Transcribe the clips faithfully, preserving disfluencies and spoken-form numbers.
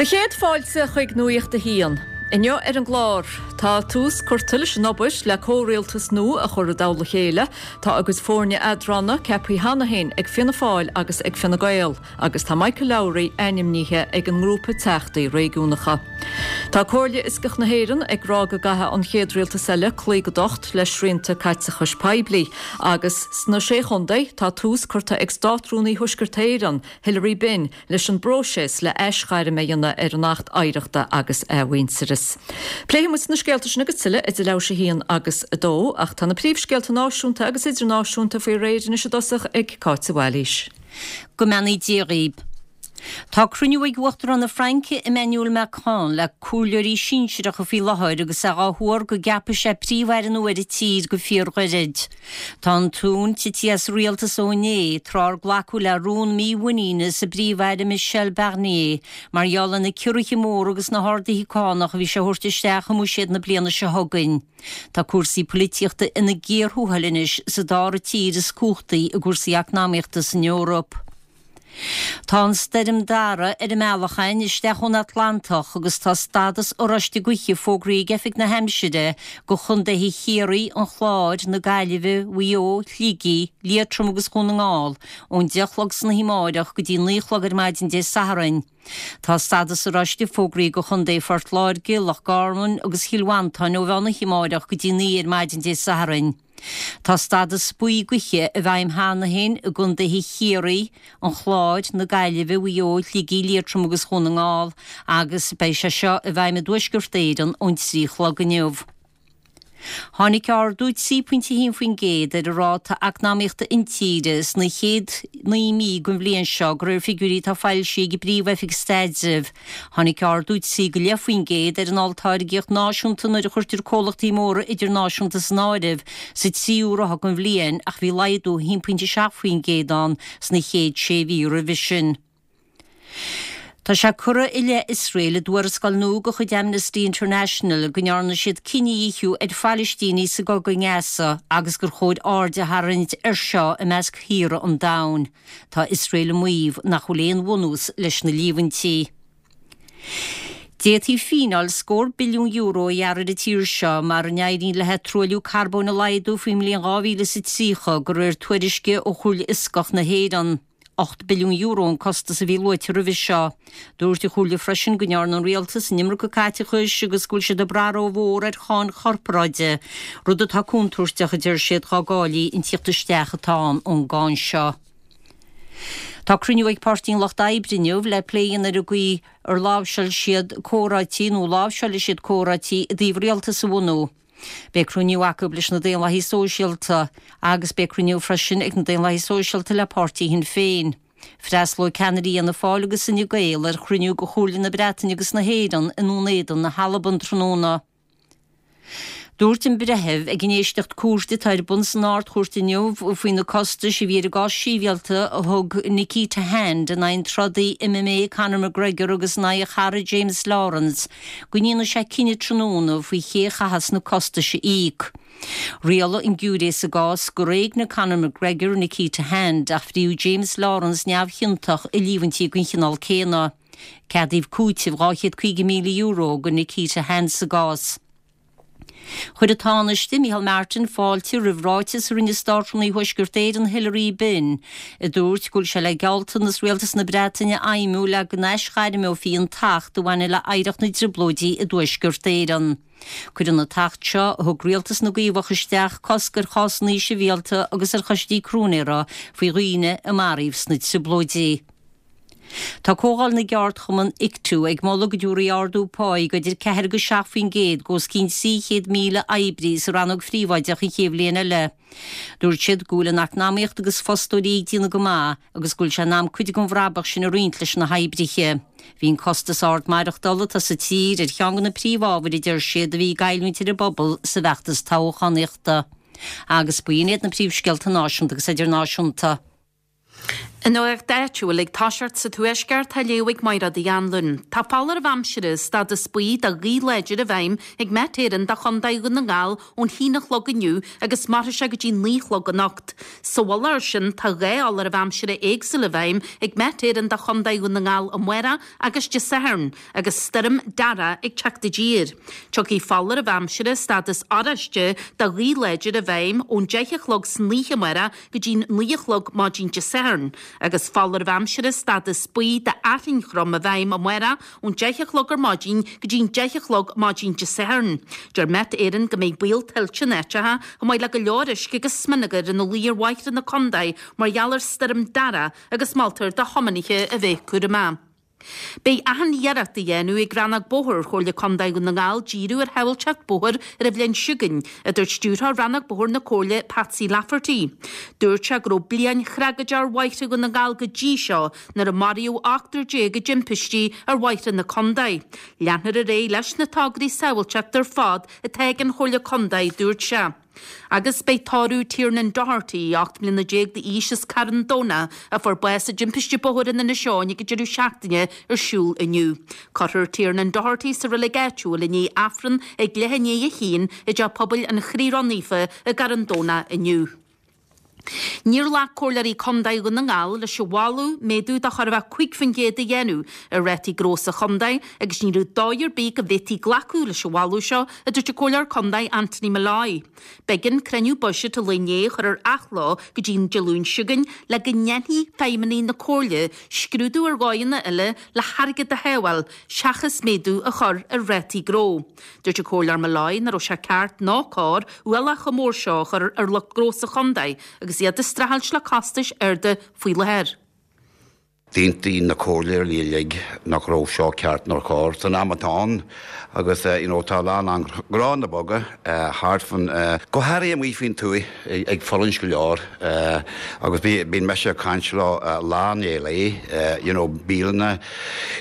Do chéad fáilte chuig Nuacht a hAon. Inniu ar an gclár, tá tús curtha leis an obair le comhrialtas nua a chur i dtoll a chéile, tá a gcuid foirne eadrána ceaptha cheana féin ag Fianna Fáil agus ag Fine Gael, agus tá Michael Lowry ainmnithe ag an ngrúpa teachtaí réigiúnacha. Tá Comhairle Fhioscach na hÉireann ag rá go gcaithfidh an chéad rialtas eile cloí go docht le srianta caiteachais poiblí, agus sna sé chontae tá tús curtha ag Státrúnaí Thuaisceart Éireann, Hilary Benn, leis an bpróiseas le aisghairm a dhéanamh ar an Acht Oidhreachta agus Athmhuintearais. Pléifidh muid na scéalta sin agus tuilleadh idir leathuair théis a haon agus a dó, ach tá na príomhscéalta náisiúnta agus idirnáisiúnta faoi réir anois i dtosach ag Cáit de Bhailís. Go mbeannaí Dia dhaoibh. Tá cruinniú ag Uachtarán na Fraince Emmanuel Macron le comhairleoirí sinsearacha faoi láthair agus é á thuar go gceapfaidh sé príomh-aire nua ar an tír go fíorghairid. Tá an tóin tite as rialtas ó inné, tráth ar glacadh le rún mímhuiníne sa bPríomh-Aire Michel Barnier mar gheall ar na ciorruithe móra agus na harduithe cánach a bhí sé a thabhairt isteach i mbuiséad na bliana seo chugainn. Tá cúrsaí polaitíochta ina gcíor thuathail anois sa dara tír is cumhachtaí i gcúrsaí eacnamaíochta san Eoraip. Tá an stoirm Dara ar an mbealach againn isteach ón Atlantach agus tá stádas oráiste gaoithe fógraithe ag Oifig na hAimsire go chontaetha Chiarraí, an Chláir, na Gaillimhe, Mhaigh Eo, Shligigh, Liatroim agus Dhún na nGall ón deich a chlog san oíche amárach go dtí naoi a chlog ar maidin Dé Sathairn. Tá stádas oráiste fógraithe go chontae Phort Láirge, Loch Garman agus Chill Mhantáin ó mheán oíche amárach go dtí naoi ar maidin Dé Sathairn. Tá stádas buí gaoithe i bhfeidhm cheana féin i gcontaetha Chiarraí, an Chláir, na Gaillimhe, Mhaigh Eo, Shligigh, Liatroim agus Dhún na nGall agus beidh sé seo i bhfeidhm i dTuaisceart Éireann ón trí a chlog inniu. Tháinig ardú trí pointe a haon faoin gcéad ar an ráta eacnamaíochta intíre sna chéad naoi mí den bhliain seo de réir figiúirí atá foilsithe ag an bPríomh-Oifig Staidrimh. Tháinig ardú trí go leith faoin gcéad ar an olltáirgeacht náisiúnta nuair a chuirtear comhlachtaí móra idirnáisiúnta san áireamh sa tríú ráithe den bhliain ach bhí laghdú a haon pointe seacht faoin gcéad ann sna chéad sé mhí roimhe sin. Tá sé curtha i leith Iosrael i dtuarascáil nua de chuid Amnesty International go ndearna siad cinedhíothú ar Phalaistínigh sa gcogadh i nGaza agus gur chóir aird a tharraingt air seo i measc thíortha an domhain. Tá Iosrael ag maíomh nach bhfuil aon bhunús leis na líomhaintí. D'fhéadfaí fíneáil scór billiún euro a ghearradh ar an tír seo mara n-éiríonn léi truailliú carbóin a laghdú faoin mbliain dhá mhíle is a tríocha, de réir tuairisce ó Chomhairle Fhioscach na hÉireann. Ocht billiún euro an costas a bhí luaite roimhe seo. Dúirt an Chomhairle freisin go ndearna an rialtas an iomarca caiteachais agus go bhfuil siad ag brath rómhór ar cháin chorparáide, rud atá contúirteach, a deir siad, dá gcáillí an tíocht isteach atá ann ón gcáin seo. Tá cruinniú ag Páirtí an Lucht Oibre inniu le plé a dhéanamh ar an gcaoi ar láimhseáil siad comhráití nó láimhseálfaidh siad comhráití i dtaobh rialtas a bhunú. Beidh cruinniú acu leis na Daonlathaithe Sóisialta agus beidh cruinniú freisin ag na Daonlathaithe Sóisialta le páirtí Shinn Féin. Freastalóidh ceannairí Fhianna Fáil agus Fhine Gael ar chruinniú de Chomhairle na Breataine agus na hÉireann i nDún Éideann na hAlban tráthnóna. Dúirt an breitheamh ag an éisteacht cúirte atá ar bun san Ard-Chúirt inniu faoi na costais a bhí ar an gcás sibhialta a thug Nikita Hand in aghaidh an trodaí M M A Conor McGregor agus in aghaidh a chara James Lawrence go ndéanfaidh sé cinneadh tráthnóna faoi ché a chaithfeas na costais a íoc. Rialaigh an giúiré sa gcás gur éignigh Conor McGregor Nikita Hand ach bhriodh James Lawrence neamhchiontach i líomhaintí den chineál céanna. Ceadaíodh cúiteamh dhá chéad caoga míle euro do Nikita Hand sa gcás. Chuir an Tánaiste Micheál Martin fáilte roimh ráiteas a rinne Státrúnaí Thuaisceart Éireann Hilary Benn, a dúirt go bhfuil sé le gealltanas Rialtas na Breataine a fheidhmiú le go n-aisghairmeofaí an tAcht a bhaineann le hoidhreacht na dTrioblóidí i dTuaisceart Éireann. Cuireann an tAcht seo, a thug Rialtas na gCaomhach isteach, cosc ar chásanna sibhialta agus ar choistí cróinéara faoi dhaoine a maraíodh sna Trioblóidí. Tá Comhdháil na gCeardchumann Ictu ag moladh go dtabharfaí ardú páí de idir ceathair agus seacht faoin gcéad d'os cionn trí chéad míle oibrí sa rannóg phríobháideach an chéad bhliain eile. Dúirt siad go bhfuil an eacnamaíocht agus fostóirí ag déanamh go maith agus go bhfuil sé in am cuid den bhrabach sin a roinnt leis na hoibrithe. Bhí an costas ard maireachtála atá sa tír ar cheann de na príomhábhair a deir siad a bhí ag goilliúint ar an bpobal sa bhfeachtas toghchánaíochta. Agus b'in iad na príomhscéalta náisiúnta agus idirnáisiúnta. An nuacht áitiúil ag toiseacht sa Tuaisceart á léamh ag Máire Uí Anluain. Tá foláireamh aimsire stádas buí do ghaoth láidir i bhfeidhm ag Met Éireann do Chontae Dhún na nGall ón haon a chlog inniu agus mairfidh sé go dtí naoi a chlog anocht. Sa mhullach air sin tá dhá fholáireamh aimsire éagsúil i bhfeidhm ag Met Éireann do Chontae Dhún na nGall amárach agus Dé Sathairn agus stoirm Darragh ag teacht i dtír. Tiocfaidh foláireamh aimsire stádas oráiste do ghaoth láidir i bhfeidhm ón deich a chlog san oíche amárach go dtí naoi a chlog maidin Dé Sathairn. Agus foláireamh aimsire stádas buí d'fhearthainn throm i bhfeidhm amárach ón deich a chlog ar maidin go dtí'n deich a chlog maidin Dé Sathairn. Deir Met Éireann go mbeidh baol tuilte in áiteacha chomh maith le go leor uisce agus smionagar ina luí ar bhóithre na contae mar gheall ar stoirm Darragh agus moltar do thiománaithe a bheith cúramach. Beidh achan iarracht á dhéanamh ag Rannóg Bóthair Chomhairle Contae Dhún na nGall díriú ar shábháilteacht bóthair ar an bhliain seo chugainn, a dúirt stiúrthóir Rannóg Bóthair na Comhairle Patsy Lafferty. Dúirt sé go raibh bliain thragóideach ar bhóithre Dhún na nGall go dtí seo nuair a maraíodh ochtar déag i dtimpistí ar bhóithre na contae. Leanfar ar aghaidh leis na tograí sábháilteachta ar fad atá ag an Chomhairle Contae, dúirt sé. Agus beidh tórramh Tiernan Doherty, ocht mbliana déag d'aois as Carn Domhnach, a fuair bás i dtimpiste bóthair in Inis Eoghain ag an deireadh seachtaine ar siúl inniu. Cuirfear Tiernan Doherty sa reilig áitiúil i ndiaidh Aifreann ag leath i ndiaidh a haon i dteach pobail an Chroí Ró-Naofa i gCarn Domhnach inniu. Níor ghlac Comhairleoirí Contae Dhún na nGall leis an mholadh méadú de chóir a bheith cúig faoin gcéad a dhéanamh ar rátaí gnó sa chontae agus ní raibh dóigh ar bith go bhféadfaí glacadh leis an mholadh seo, a dúirt an Comhairleoir Contae Anthony Molloy. B'éigean cruinniú buiséid an lae inné a chur ar athló go dtí an Dé Luain seo chugainn le go ndéanfaidh feidhmeannaigh na Comhairle scrúdú ar dhóigheanna eile le hairgead a shábháil seachas méadú a chur ar rátaí gnó. Dúirt an Comhairleoir Molloy nach raibh sé ceart ná cóir ualach chomh mór seo a chur ar lucht gnó sa chontae agus iad ag streachailt le costais arda faoi láthair. D'aontaigh na comhairleoirí uilig nach raibh seo ceart ná cóir san am atá ann agus you know, tá lán an gnónna beaga thart fan go háirithe amuigh faoin tuath ag fulaingt go leor agus bíonn mise ag caint leo lá i ndiaidh lae you know, bialanna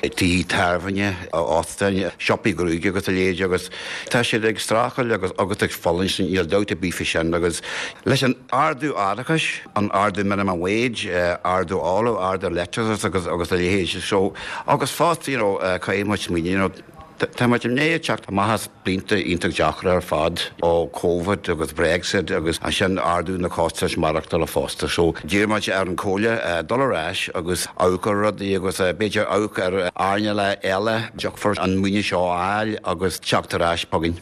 tithe tábhairne óstáin siopaí gruaige agus a leithéid agus tá siad ag streachailt agus agus ag fulaingt níl dabht ar bith faoi sin agus leis an ardú árachais an ardú minimum wage ardú ola ardú leictreachais agus agus a leithéid so agus fosta you know, caithfidh muid smaoineamh you know, Tá muid i ndiaidh teacht amach as blianta iontach deacra ar fad ó Covid agus Brexit agus ansin ardú na costais maireachtála fosta. So d'iarr muid ar an Chomhairle dul ar ais agus amharc ar rudaí agus b'fhéidir amharc ar earnálacha eile dtiocfar an maoiniú seo a fháil agus teacht ar ais chugainn.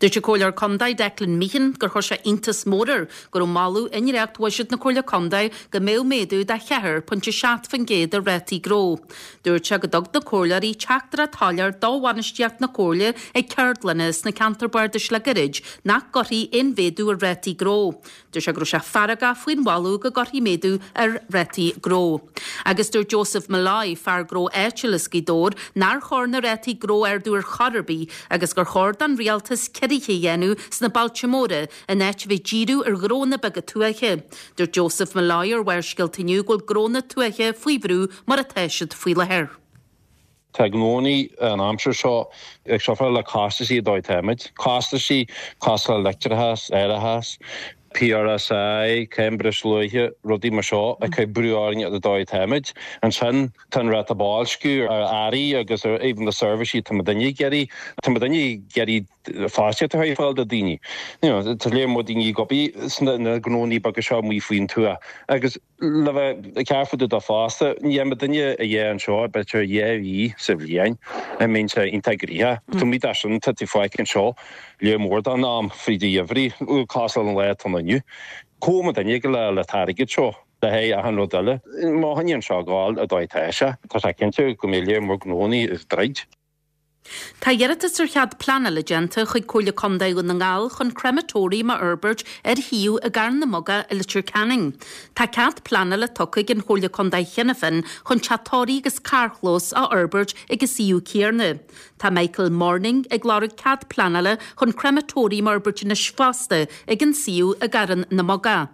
Dúirt an Comhairleoir Contae Declan Meehan gur chuir sé iontas mór air go raibh moladh i ndréacht-bhuiséad na Comhairle Contae go mbeadh méadú de cheathair pointe seacht faoin gcéad ar rátaí gnó. Dúirt sé go dtug na comhairleoirí teachtaireacht shoiléir do bhainistíocht na Comhairle ag ceardlanna sna ceantar bardais le gairid nach gcuirfí aon mhéadú ar rátaí gnó. Dúirt sé go raibh sé feargach faoin mholadh go gcuirfí méadú ar rátaí gnó. Agus dúirt Joseph Molloy, fear gnó áitiúil as Gaoth Dobhair, nár chóir na rátaí gnó a ardú ar chor ar bith agus gur chóir don rialtas ciorruithe a dhéanamh sna bailte móra in áit a bheith díriú ar ghnónna beaga tuaithe. Dúirt Joseph Molloy ar Bharrscéalta inniu go bhfuil gnónna tuaithe faoi bhrú mar atá siad faoi láthair. Tá gnónnaí an aimsir seo ag suffer le costaisí dóigh táimid. Costaisí cosúil le leictreachas, árachas, PRSI, Cambridge luaithe, rudaí mar seo ag cur brú orainn ar dóigh táimid. Ansin tá an ráta boilsciú ar earraí agus ar even na seirbhísí tá daoine ag iarraidh tá daoine ag iarraidh fostaíocht a chur ar fáil do daoine. Tá léir mo daoine gobaí sna na gnónnaí beaga seo amuigh faoin tuath. Agus le bheith cearfadú do fosta, ní ma duine a dhé anseo b'fhéidir dhá mhí sa bhliain a mbíonn sé iontach gnoitheach. Tá mí sin tá tú fáic anseo le mór den am fríd an gheimhreadh cosúil an lá atá inniu. Có ma duine go le le t-airgead seo le haghaidh achan rud eile. Má choinníonn seo gáil a dóigh tá sé, tá sé cinnte go mbeidh léir mór gnónnaí is troid. Tá iarratas ar chead pleanála déanta chuig Comhairle Contae Dhún na nGall chun crematorium a fhorbairt ar shuíomh i gCarn na Muga i Leitir Ceanainn. Tá cead pleanála tugtha ag an Chomhairle Contae cheana féin chun teach tórraimh agus carrchlós a fhorbairt ag an suíomh céanna. Tá Michael Morning ag lorg cead pleanála chun crematorium a fhorbairt anois fosta ag an suíomh i gCarn na Muga.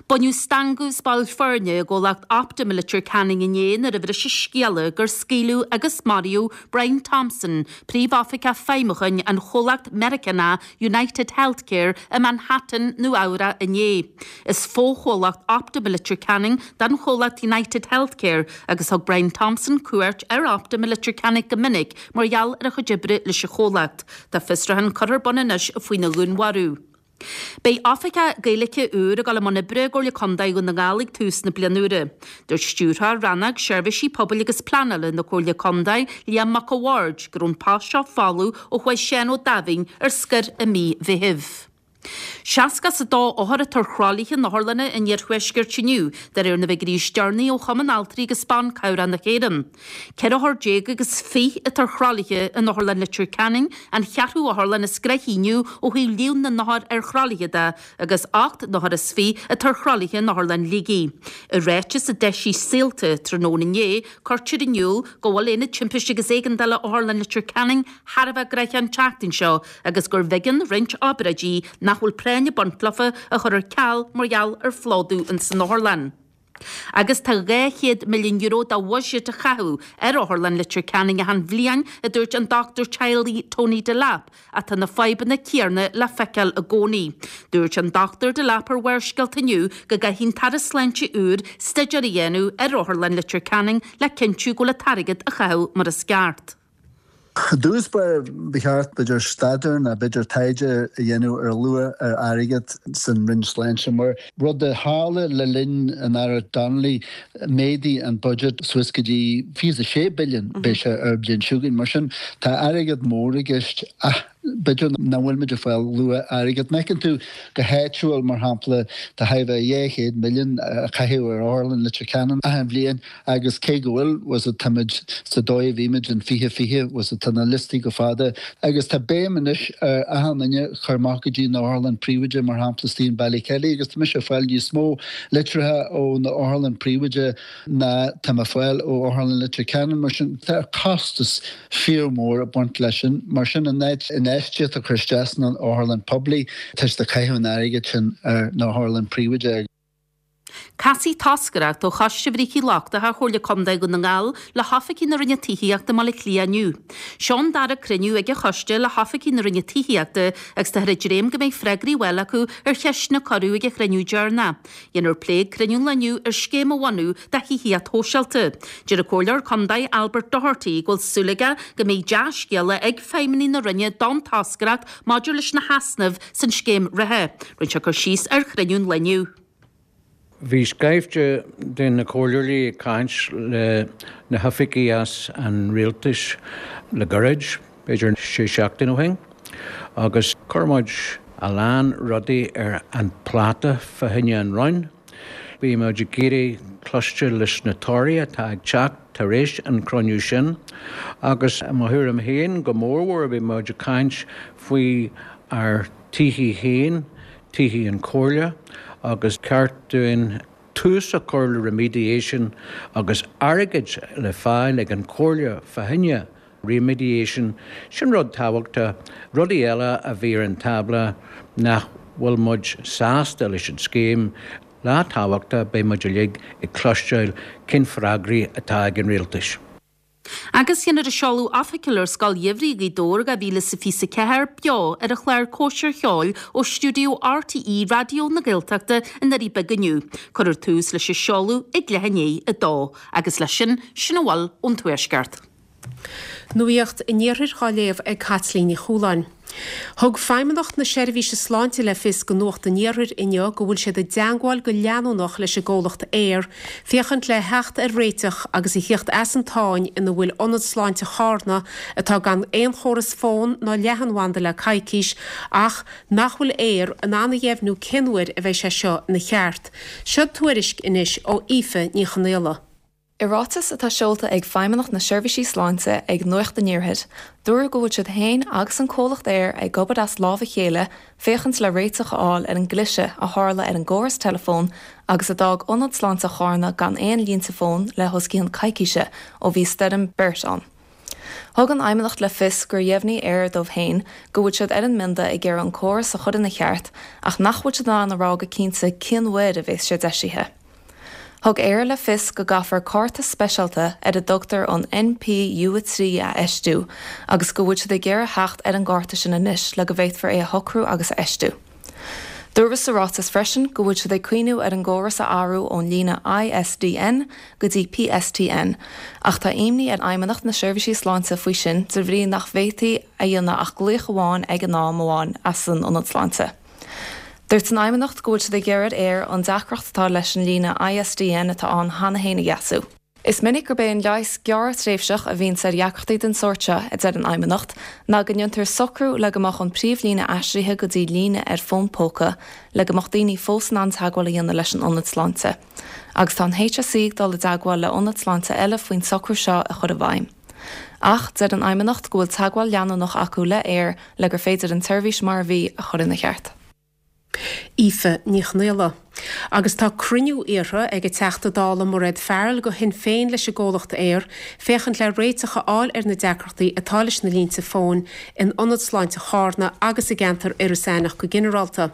Baineadh stangadh as baill foirne i gcomhlacht Optum i Leitir Ceanainn inné nuair a bhris an scéala gur scaoileadh agus maraíodh Brian Thompson, Príomhoifigeach Feidhmiúcháin an chomhlacht Meiriceánach United Healthcare i Manhattan, Nua Eabhrac inné. Is fochomhlacht Optum i Leitir Ceanainn don chomhlacht United Healthcare agus thug Brian Thompson cuairt ar Optum i Leitir Ceanainn go minic mar gheall ar a chuid oibre leis an chomhlacht. Tá fiosrúchán curtha ar bun anois faoina dhúnmharú. Beidh oifigeach Gaeilge úr ag dul i mbun oibre i gComhairle Contae Dhún na nGall ag tús na bliana úire. Dúirt Stiúrthóir Rannóg Seirbhísí Pobail agus Pleanála na Comhairle Contae, Liam Mac a' Bhaird, go raibh an post seo folamh ó chuaigh Seán Ó Daimhín ar scor i mí Mheithimh. Seasca is a dó othar atá ar thralaithe in otharlanna an iarthuaiscirt inniu, de réir na bhfigiúirí is deireanaí ó Chumann Altraí agus Ban Cabhrach na hÉireann. Ceithre othar déag agus fiche atá ar thralaithe in Otharlann Leitir Ceanainn, an cheathrú otharlann is gnoithí inniu ó thaobh líon na n-othar ar thralaithe de, agus ocht n-othar is fiche atá ar thralaithe in Otharlann Shligigh. I ráiteas a d'eisigh Saolta tráthnóna inné, cuirtear in iúl go bhfuil Aonad Timpiste agus Éigeandála Otharlann Leitir Ceanainn thar a bheith gnoitheach an tseachtain seo agus gurbh éigean roinnt obráidí nach bhfuil práinn ag baint leofa a chur ar ceal mar gheall ar phlódú ins an otharlann. Agus tá dhá chéad milliún euro de bhuiséad a caitheadh ar Otharlann Leitir Ceanainn achan bhliain, a dúirt an dochtúir teaghlaigh Tony Delap, ach tá na fadhbanna céanna le feiceáil i gcónaí. Dúirt an Dochtúir Delap ar Bharrscéalta inniu go gcaithfidh an tAire Sláinte úr staidéar a dhéanamh ar Otharlann Leitir Ceanainn le cinntiú go bhfuil an t-airgead á chaitheamh mar is ceart. I dtús báire ba cheart b'fhéidir staidéar nó b'fhéidir taighde a dhéanamh ar luach ar airgead san Roinn Sláinte mar rud a tharla le linn an Aire Donnelly méadaigh an budget suas go dtí fiche a sé billion beidh sé ar bhliain seo chugainn. Mar sin tá airgead mór i gceist ach b'fhéidir nach bhfuil muid ag fáil luach airgead. Má fheiceann tú go háitiúil mar shampla tá thar a bheith dhá chéad milliún a caitheamh ar Otharlann Leitir Ceanainn achan bhliain agus cé go bhfuil was it táimid sa dóigh a bhí muid in fiche fiche was it tá na liostaí go fada agus tá béim anois ar achan duine chur amach go dtí na otharlann príobháideach mar shampla istigh in Ballykelly agus tá mise ag fáil níos mó litreacha ó na otharlann príobháideach ná tá mé ag fáil ó Otharlann Leitir Ceanainn mar sin tá costas fíormhór ag baint leis sin mar sin in áit infheistíocht a chur isteach san otharlann poiblí tá siad ag caitheamh an airgid sin ar na otharlann príobháideach. Casfaidh toscaireacht ó Choiste Bhrící Lochtacha Chomhairle Contae Dhún na nGall le hoifigigh na Roinne Tithíochta i mBaile Átha Cliath inniu. Seo an dara cruinniú ag an choiste le hoifigigh na Roinne Tithíochta agus táthar ag dréim go mbeidh freagraí á bhfáil acu ar cheisteanna a cuireadh ag an chruinniú deireanach. Dhéanfar plé ag cruinniú an lae inniu ar scéim a bhunú do thithíocht shóisialta. Deir an Comhairleoir Contae Albert Doherty go bhfuil súil aige go mbeidh dea-scéala ag feidhmeannaigh na Roinne don toscaireacht maidir leis na heasnaimh san scéim reatha. Rinne sé cur síos ar chruinniú an lae inniu. Bhí scaifte de na comhairleoirí ag caint le na hoifigigh as an rialtas le gairid, b'fhéidir sé seachtain ó shin, agus chuir muid a lán rudaí ar an pláta fá choinne an Roinn. Bhí muid ag iarraidh cloisteáil leis na torthaí atá ag teacht tar éis an chruinniú sin, agus i mo thuairim féin go mórmhór bhí muid ag caint faoi ár tithe féin, tithe an Chomhairle, agus ceart dúinn tús a chur le remediation agus airgead le fáil ag an Chomhairle fá choinne remediation, sin rud tábhachtach. Rudaí eile a bhí ar an tábla nach bhfuil muid sásta leis an scéim, lá tábhachtach, beidh muid uilig ag cloisteáil cén freagraí atá ag an rialtas. Agus dhéanfar an seoladh oifigiúil ar Scoil Gheimhridh Ghaoth Dobhair dhá mhíle is a fiche a ceathair beo ar an chlár Cóisir Cheoil ó stiúideo RTÉ Raidió na Gaeltachta i nDoirí Beaga inniu. Cuirfear tús leis an seoladh ag leath i ndiaidh a dó. Agus leis sin, sin a bhfuil ón Tuaisceart. Nuacht an Iarthair á léamh ag Caitlín Ní Chualáin. Thug Feidhmeannacht na Seirbhíse Sláinte le fios do Nuacht an Iarthair inniu go bhfuil siad i dteangmháil go leanúnach leis an gcomhlacht Eir féachaint le theacht ar réiteach agus a theacht as an tsáinn ina bhfuil Ionad Sláinte Charna atá gan aon chóras fóin ná leathanbhanda le coicís ach nach bhfuil Eir in ann a dheimhniú cén uair a bheidh sé seo ina cheart. Seo tuairisc anois ó Aoife Ní Chonaola. I ráiteas atá seolta ag Feidhmeannacht na Seirbhísí Sláinte ag Nuacht an Iarthair, dúradh go bhfuil siad féin agus an comhlacht Eir ag obair as lámh a chéile féachaint le réiteach a fháil ar an gcliseadh a tharla ar an gcóras teileafóin agus a d'fhág Ionad Sláinte Charna gan aon línte fóin le os cionn coicíse ó bhí stoirm Bert ann. Thug an Fheidhmeannacht le fios gur dheimhnigh Eir dóibh féin go bhfuil siad ar an mbionda ag iarraidh an córas a chur ina cheart ach nach bhfuil siad in ann a rá go cinnte cén uair a bheas sé deisithe. Thug Eir le fios go gcaithfear cárta speisialta ar a dtugtar an NPU a trí a fheistiú agus go bhfuil siad ag iarraidh theacht ar an gcárta sin anois le go bhféadfar é a shocrú agus a fheistiú. Dúradh sa ráiteas freisin go bhfuil siad ag cuimhneamh ar an gcóras a athrú ón líne ISDN go dtí PSTN, ach tá imní ar Fheidhmeannacht na Seirbhísí Sláinte faoi sin de bhrí nach bhféadfaí a dhéanamh ach glaoch amháin ag an am amháin as an ionad sláinte. Dúirt an Fheidhmeannacht go bhfuil siad ag iarraidh ar Eir an deacracht atá leis an líne ISDN atá ann cheana féin a dheisiú. Is minic gurb é an leigheas gearrthréimhseach a bhíonn ar dheacrachtaí den sórt seo, a deir an Fheidhmeannacht, ná go ndéantar socrú le go mbeadh an príomhlíne aistrithe go dtí líne ar fón póca le go mbeadh daoine fós in ann teagmháil a dhéanamh leis an ionad sláinte. Agus tá an HSE ag dul i dteagmháil le ionaid sláinte eile faoin socrú seo a chur i bhfeidhm. Ach deir an Fheidhmeannacht go bhfuil teagmháil leanúnach acu le Eir le gur féidir an tseirbhís mar a bhí a chur ina cheart. Aoife Ní Chonghaile. Agus tá cruinniú iarrtha ag an Teachta Dála Mairéad Farrell go Shinn Féin leis an gcomhlacht Eir féachaint le réiteach a fháil ar na deacrachtaí atá leis na línte fóin in Ionad Sláinte Charna agus i gceantar Iorras Aithneach go ginearálta.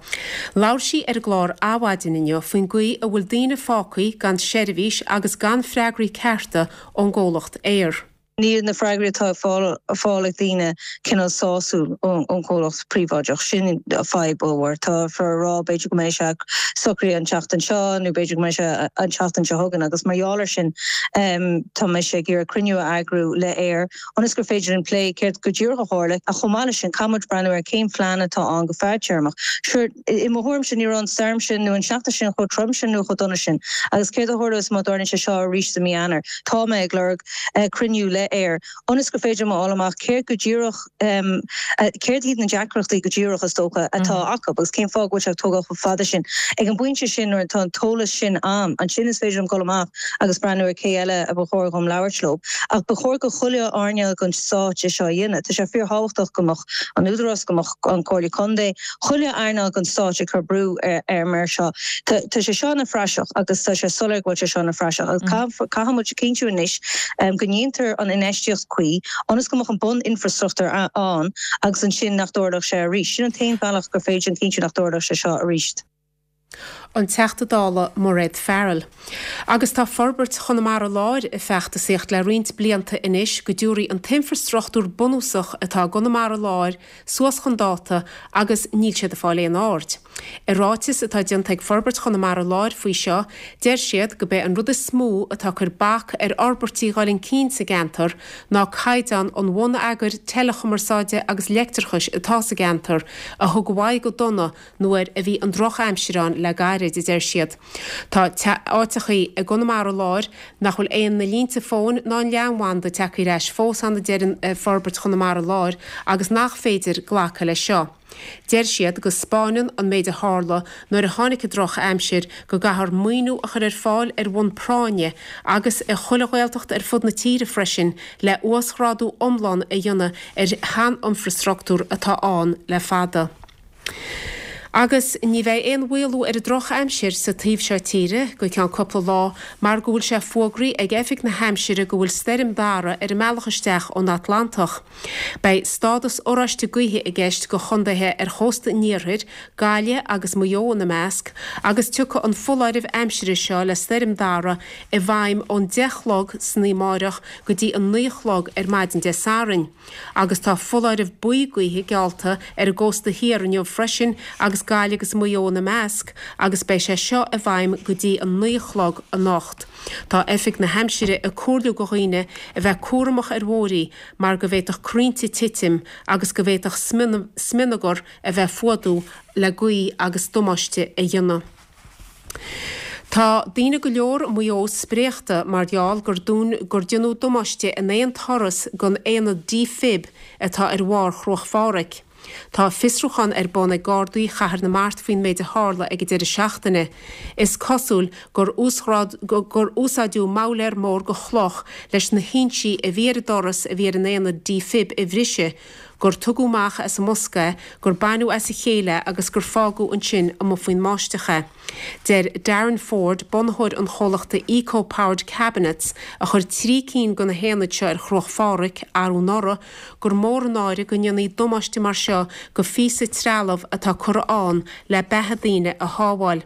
Labhair sí ar an gclár Adhmhaidin inniu faoin gcaoi a bhfuil daoine fágtha gan seirbhís agus gan freagraí cearta ón gcomhlacht Eir. Níl na freagraí atá á fáil ag daoine cineál sásúil ón chomhlacht príobháideach. Sin fadhb mhór. Táthar ag rá b'fhéidir go mbeidh sé socraithe an tseachtain seo nó b'fhéidir go mbeidh sé an tseachtain seo chugainn agus mar gheall air sin tá mise ag iarraidh cruinniú a eagrú le Eir ionas gur féidir linn plé céard go díreach a tharla ach chomh maith leis sin caithfidh muid breathnú ar cén phlean atá ann go fadtéarmach. Sure, i mo thuairimse ní raibh an stoirm sin nó an tseachtain sin chomh trom sin nó chomh dona sin agus céard a tharlós má tharlaíonn sé seo arís i mí Eanáir. Tá mé ag lorg cruinniú le Eir ionas gur féidir liom a fháil amach céard go díreach céard iad na deacrachtaí go díreach is dócha atá acu agus cén fáth go bhfuil sé ag tógáil chomh fada sin. Ag an bpointe sin nuair atá an t-eolas sin a'm, ansin is féidir liom dul amach agus breathnú ar cé eile a ba chóir dhom labhairt leo. Ach ba chóir go chuile earnáil den stát é seo a dhéanamh. Tá sé fíorthábhachtach go mbeadh an Údarás, go mbeadh an Comhairle Contae, chuile earnáil den stát ag cur brú ar mar seo. Tá sé seo ina phraiseach agus tá sé soiléir go bhfuil sé seo ina phraiseach agus caithfidh muid a chinntiú anois go ndéantar an infheistíocht cuí ionas go mbeadh an bun-infrastruchtúr ann agus ansin nach dtarlódh sé arís. Sin an t-aon bhealach gur féidir a chinntiú nach dtarlódh sé seo arís. An Teachta Dála Mairéad Farrell. Agus tá Forbairt Chonamara Láir ag feachtasaíocht le roinnt blianta anois go dtabharfaí an t-infrastruchtúr bunúsach atá i gConamara Láir suas chun dáta agus níl siad ag fáil aon aird. I ráiteas atá déanta ag Forbairt Chonamara Láir faoi seo, deir siad go b'é an rud is mó atá ag cur bac ar fhorbairtí dhul chun cinn sa gceantar ná caighdeán an bhonneagair teileachumarsáide agus leictreachais atá sa gceantar, a thug uaidh go dona nuair a bhí an drochaimsir ann le gairid, a deir siad. Tá áiteachaí i gConamara Láir nach bhfuil aon na línte fóin ná an leathanbhanda tagtha ar ais fós ann a deireann Forbairt Chonamara Láir agus nach féidir glacadh leis seo. Deir siad go 'spáineann an méid a tharla nuair a tháinig an droch-aimsir go gcaithfear maoiniú a chur ar fáil ar bhonn práinne agus i chuile Ghaeltacht ar fud na tíre freisin le uasghrádú iomlán a dhéanamh ar shean-infreastruchtúr atá ann le fada. Agus ní bheidh aon mhaolú ar an drochaimsir sa taobh seo tíre go ceann cúpla lá mar go bhfuil sé fógraithe ag Oifig na hAimsire go bhfuil Stoirm Dara ar an mbealach isteach ón Atlantach. Beidh stádas oráiste gaoithe i gceist do chontaetha ar chósta an iarthair, Gaillimh agus Maigh Eo ina measc, agus tiocfaidh an foláireamh aimsire seo le Stoirm Dara i bhfeidhm ón deich a chlog san oíche amáireach go dtí an naoi a chlog ar maidin Dé Sathairn. Agus tá foláireamh buí gaoithe geallta ar an gcósta thiar inniu freisin agus Gaillimh agus Maigh Eo ina measc agus beidh sé seo i bhfeidhm go dtí an naoi a chlog anocht. Tá Oifig na hAimsire ag comhairliú go dhaoine a bheith cúramach ar bhóithrí mar go bhféadfadh crainnte titim agus go bhféadfadh smionagar a bheith fuadú le gaoth agus damáiste a dhéanamh. Tá daoine go leor i Maigh Eo spréachta mar gheall gur gur déanadh damáiste in aon turas don aonad defib atá ar bharr Chruach Phádraig. Tá fiosrúchán ar bun ag Gardaí Chathair na Mart faoin méid a tharla ag an deireadh seachtaine. Is cosúil gur gur úsáideadh moghlaer mór de chloch leis na hinsí a bhí ar an doras a bhí ar an aonad defib a bhriseadh. gur tugadh amach as an mbosca é, gur baineadh as a chéile agus gur fágadh ansin amuigh faoin mbáisteach é. Deir Darren Ford, bunaitheoir an chomhlachta Eco Powered Cabinets, a chuir trí cinn de na haonaid seo ar Chruach Phádraig arú anuraidh, gur mór an náire go ndéanfaí damáiste mar seo go phíosa trealaimh atá curtha ann le beatha daoine a shábháil.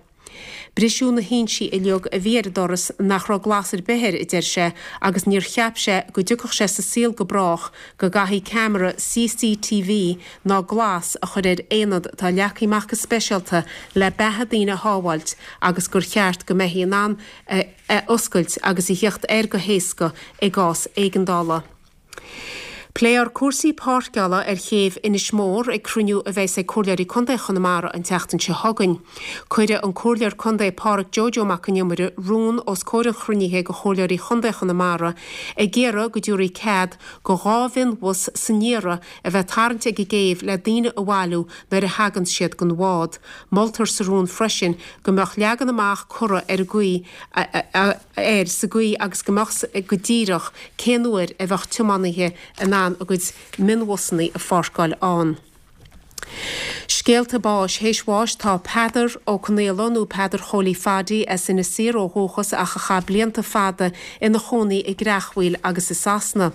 Briseadh na hinsí uilig a bhí ar an doras nach raibh glas ar bith air, a deir sé, agus níor cheap sé go dtiocfadh sé sa saol go brách go gcaithfí ceamara CCTV ná glas a chur ar aonad atá leagtha amach go speisialta le beatha daoine a shábháilt agus gur cheart go mbeifí in ann é a oscailt agus a theacht air go héasca i gcás éigeandála. Pléifear cúrsaí páirceála ar chéibh Inis Mór ag cruinniú a bheas ag Comhairleoirí Contae Chonamara an tseachtain seo chugainn. Cuirfidh an Comhairleoir Contae Pádhraic Joe Joe Mac an Iomaire rún os comhair an chruinnithe de Chomhairleoirí Chontae Chonamara ag iarraidh go dtabharfaí cead go dhá mhionbhus san iarraidh a bheith tarraingt ag an gcéibh le daoine a bhailiú nuair a thagann siad den bhád. Moltar sa rún freisin go mbeadh leagan amach curtha ar an gcaoi a air sa gcaoi agus go mbeadh go díreach cén uair a bheadh tiománaithe in ann a gcuid mionbhusanna a pháirceáil ann. Scéalta báis Théis bháis tá Peadar Ó Conaola nó Peadar Chóilí Phaddy as Inis Oírr ó dhúchas ach a chaith blianta fada ina chónaí i gCreachmhaoil agus i Sasana.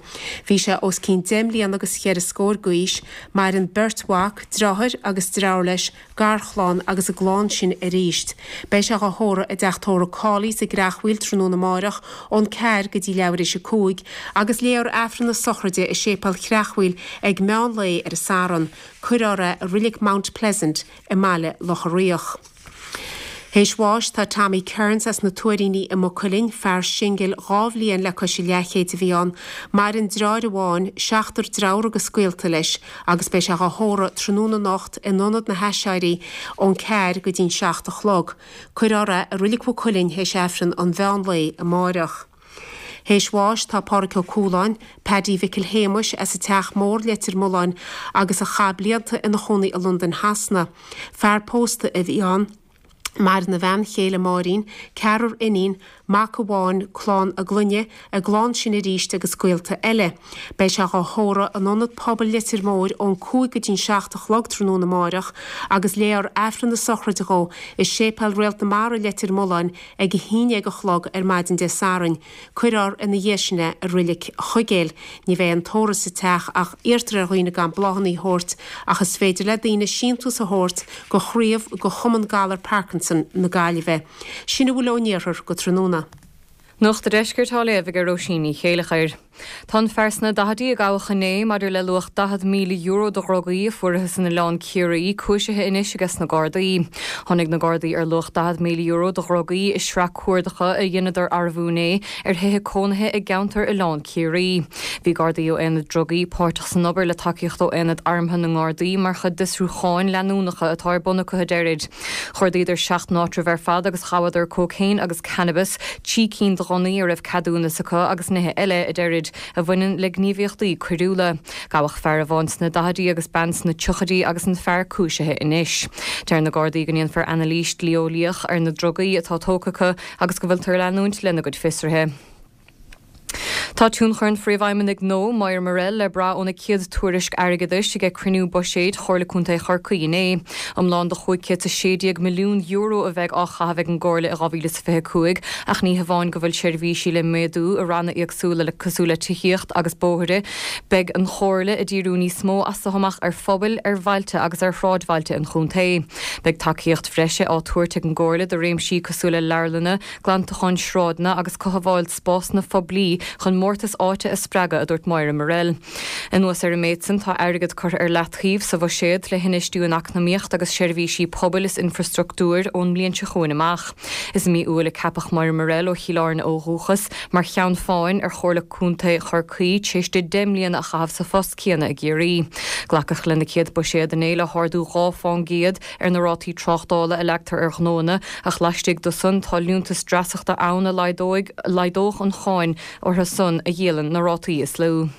Bhí sé os cionn deich mbliana agus cheithre scór d'aois. Maireann beirt mhac, deartháir agus deirfiúr leis, garchlann agus a gclann sin arís. Beidh sé dhá thórramh i dteach tórraimh Cawley's i gCreachmhaoil tráthnóna amáireach ón ceathair go dtí leathuair théis a cúig agus léifear Aifreann na sochraide i Séipéal Chreachmhaoil ag meán lae ar an Satharn. Cuirfear é i Reilig Mount Pleasant i mBaile Locha Riach. Théis bháis tá Tommy Kearns as na Tuairíní i Maigh Cuilinn, fear singil dhá bhliain le cois a leathchéid a bhí ann. Maireann deartháir amháin, seachtar deartháir agus gaolta leis agus beidh sé dhá thórramh tráthnóna anocht in Ionad na hAiséirí ón ceathair go dtí'n seacht a chlog. Cuirfear é i Reilig Mhaigh Cuilinn théis Aifreann an mheán lae amáireach. Théis bháis tá Pádraig Ó Cualáin, Paddy Mhicil Shéamuis as an Teach Mór, Leitir Mealláin agus a chaith blianta ina chónaí i Londain Shasana. Fear pósta a bhí ann. Maireann a bhean chéile Máirín, ceathrar iníon, mac amháin, clann a gclainne, a gclann sin arís agus gaolta eile. Beidh sé dhá thórramh in Ionad Pobail Leitir Móir ón cúig go dtí'n seacht a chlog tráthnóna amáireach agus léifear Aifreann na sochraide dhó i Séipéal Réalt na Mara Leitir Mealláin ag a haon déag a chlog ar maidin Dé Sathairn. Cuirfear ina dhiaidh sin é i Reilig Chuigéil. Ní bheidh an tórramh sa teach ach iarrtar ar dhaoine gan bláthanna a thabhairt ach is féidir le daoine síntiús a thabhairt go chraobh go Chumann Galar Parkinson na Gaillimhe. Sin a bhfuil ón iarthar go tráthnóna. Nuacht an Deiscirt á léamh ag Róisín Ní Chéilleachair. Tá an fear sna daichidí a gabhadh inné maidir le luach daichead míle euro de dhrugaí a fuarthas in Oileán Ciarraí cúisithe anois ages na Gardaí. Tháinig na Gardaí ar luach daichead míle euro de dhrugaí i sraith cuardacha a dheineadar arbú inné ar thithe cónaithe i gceantar Oileán Ciarraí. Bhí Gardaí ó Aonad Drugaí páirteach san obair le tacaíocht ó Aonad Armtha na nGardaí mar chuid d'fhiosrúcháin leanúnacha atá ar bun acu a deirid. Chuardaíodar seacht n-áitreabh ar fad agus ghabhadar cócaon agus cannabas, trí cinn de ghunnaí a raibh ceadúnas acu agus nithe eile, a deirid, a bhaineann le gníomhaíochtaí coiriúla. Gabhadh fear amháin sna daichidí agus bean sna tríochaidí agus an fear cúisithe anois. Deir na Gardaí go ndéanfar anailís dlí-eolaíoch ar na drugaí atá tógtha acu agus go bhfuiltear ag leanúint lena gcuid fiosruithe. Tá tionchar an Phríomhfheidhmeannaigh nua, Moira Murrell, le brath óna céad tuairisc airgeadais ag cruinniú buiséid Chomhairle Contae Chorcaí inné. Iomlán de chúig chéad is a sé déag milliún euro a bheidh á chaitheamh ag an gComhairle i dhá mhíle is fiche a cúig ach ní hamháin go bhfuil seirbhísí le méadú i ranna éagsúla le cosúil le tithíocht agus bóithre, beidh an Chomhairle ag díriú níos mó as seo amach ar phobail, ar bhailte agus ar shráidbhailte an chontae. Beidh tacaíocht bhreise á tabhairt ag an gComhairle do réimsí cosúil le leabharlanna, glantachán sráideanna agus cothabháil spásanna poiblí chun mórtas áite a spreagadh, a dúirt Moira Murrell. Anuas ar an méid sin, tá airgead curtha ar leataobh sa bhuiséad le hinfheistiú in eacnamaíocht agus seirbhísí pobail is infreastruchtúir ón mbliain seo chugainn amach. Is i mí Iúil a ceapadh Moira Murrell ó Chill Airne ó dhúchas mar cheann feadhain ar Chomhairle Contae Chorcaí tar éis di deich mbliana a chaitheamh sa phost céanna i gCiarraí. Glacadh lena céad buiséad inné le hardú dhá fán gcéad ar na rátaí tráchtála a leagtar ar ghnóanna ach laistigh de san tá liúntas dreasachta ann a laghdóidh laghdódh an cháin orthu san a dhíolann na rátaí is lú.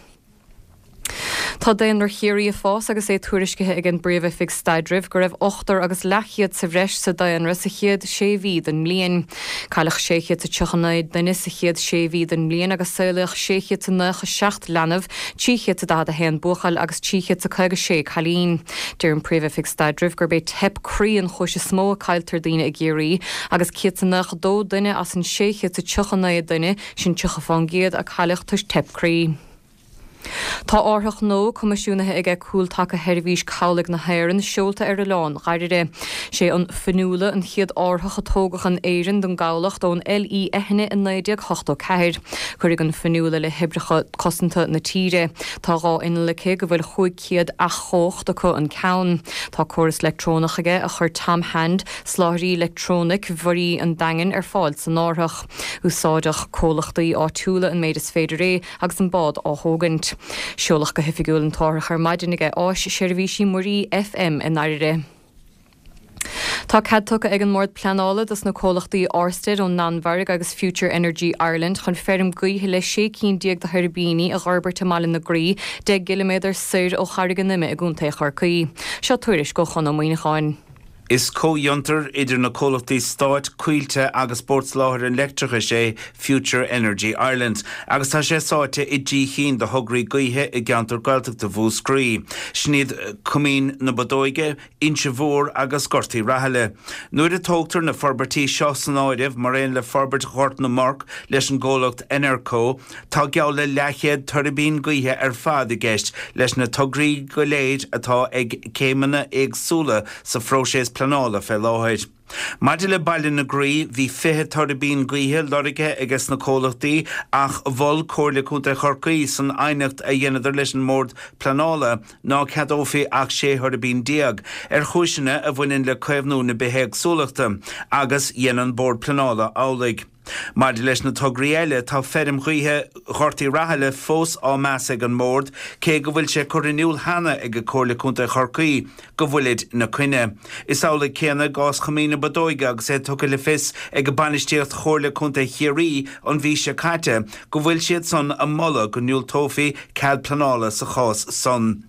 Tá daonra Chiarraí ag fás agus é tuairiscithe ag an bPríomh-Oifig Staidrimh go raibh ochtar agus leathchéad sa bhreis sa daonra sa chéad sé mhí den mbliain. Cailleadh sé chéad is tríocha naoi duine sa chéad sé mhí den mbliain agus saolaíodh sé chéad is nócha seacht leanbh, trí chéad is daichead a haon buachaill agus trí chéad is caoga sé cailín. Deir an Phríomh-Oifig Staidrimh gurb é teip croí an chúis is mó a cailltear daoine i gCiarraí agus céad is nócha dó duine as an sé chéad is tríocha naoi duine, sin tríocha fán gcéad, a cailleadh toisc teip croí. Tá árthach nua coimisiúnaithe aige Cúltaca Sheirbhís Cabhlaigh na hÉireann seolta ar oileán Dhoire. Sé an Fionnuala an chéad árthach a tógadh in Éirinn don gcabhlach ón L.E. Eithne i naoi déag ochtó ceathair. Cuirfidh an Fionnuala le hoibreacha cosanta na tíre. Tá dhá inneall aici go bhfuil chúig chéad each-chumhacht acu an ceann. Tá córas leictreonach aige a chuir Tom Hand, soláthraí leictreonaic mhuirí an Daingin, ar fáil san árthach. Úsáidfidh comhlachtaí áitiúla an méid is féidir é agus an bád á thógaint. Seoladh go hoifigiúil an t-árthach ar maidin aige Áis Seirbhísí Muirí F M i nDoire. Tá cead tugtha ag an mBord Pleanála dos na comhlachtaí Ørsted ón Danmhairg agus Future Energy Ireland chun feirm gaoithe le sé cinn déag de thuirbíní a dh'fhorbairt i mBaile na Graí, deich gciliméadar soir ó Charraig an Ime i gContae Chorcaí. Seo tuairisc ó Chon Ó Muíneacháin. Is comhfhiontar idir na comhlachtaí stáit Coillte agus Bord Soláthair an Leictreachais é Future Energy Ireland, agus tá sé sáite i dtrí chinn de thograí gaoithe i gceantar Gaeltachta Mhúscraí. Sin iad Coimín na Bodóige, Inse Mhór agus Gort Uí Rathaille. Nuair a tógtar na forbairtí seo san áireamh mar aon le forbairt Ghort na Morc leis an gcomhlacht Enerco, tá geall le leathchéad tuirbín gaoithe ar fad i gceist leis na tograí go léir atá ag céimeanna éagsúla sa phróiseas pleanála fé láthair. Maidir le Baile na Graí, bhí fiche tuirbín gaoithe lorgaithe aige sna comhlachtaí ach mhol Comhairle Contae Chorcaí san aighneacht a dheineadar leis an mBord Pleanála ná ceadófaí ach sé thuirbín déag, ar chúiseanna a bhaineann le caomhnú na bithéagsúlachta, agus dhein an Bord Pleanála amhlaidh. Maidir leis na tograí eile, tá feirm ghaoithe Ghort Uí Rathaille fós á meas ag an mBord, cé go bhfuil sé curtha in iúl cheana ag Comhairle Contae Chorcaí go bhfuilid ina coinne. Is amhlaidh céanna i gcás Choimín na Bodóige agus é tugtha le fios ag bainistíocht Chomhairle Contae Chiarraí an mhí seo caite go bhfuil siad san ag moladh go ndiúltófaí cead pleanála sa chás san.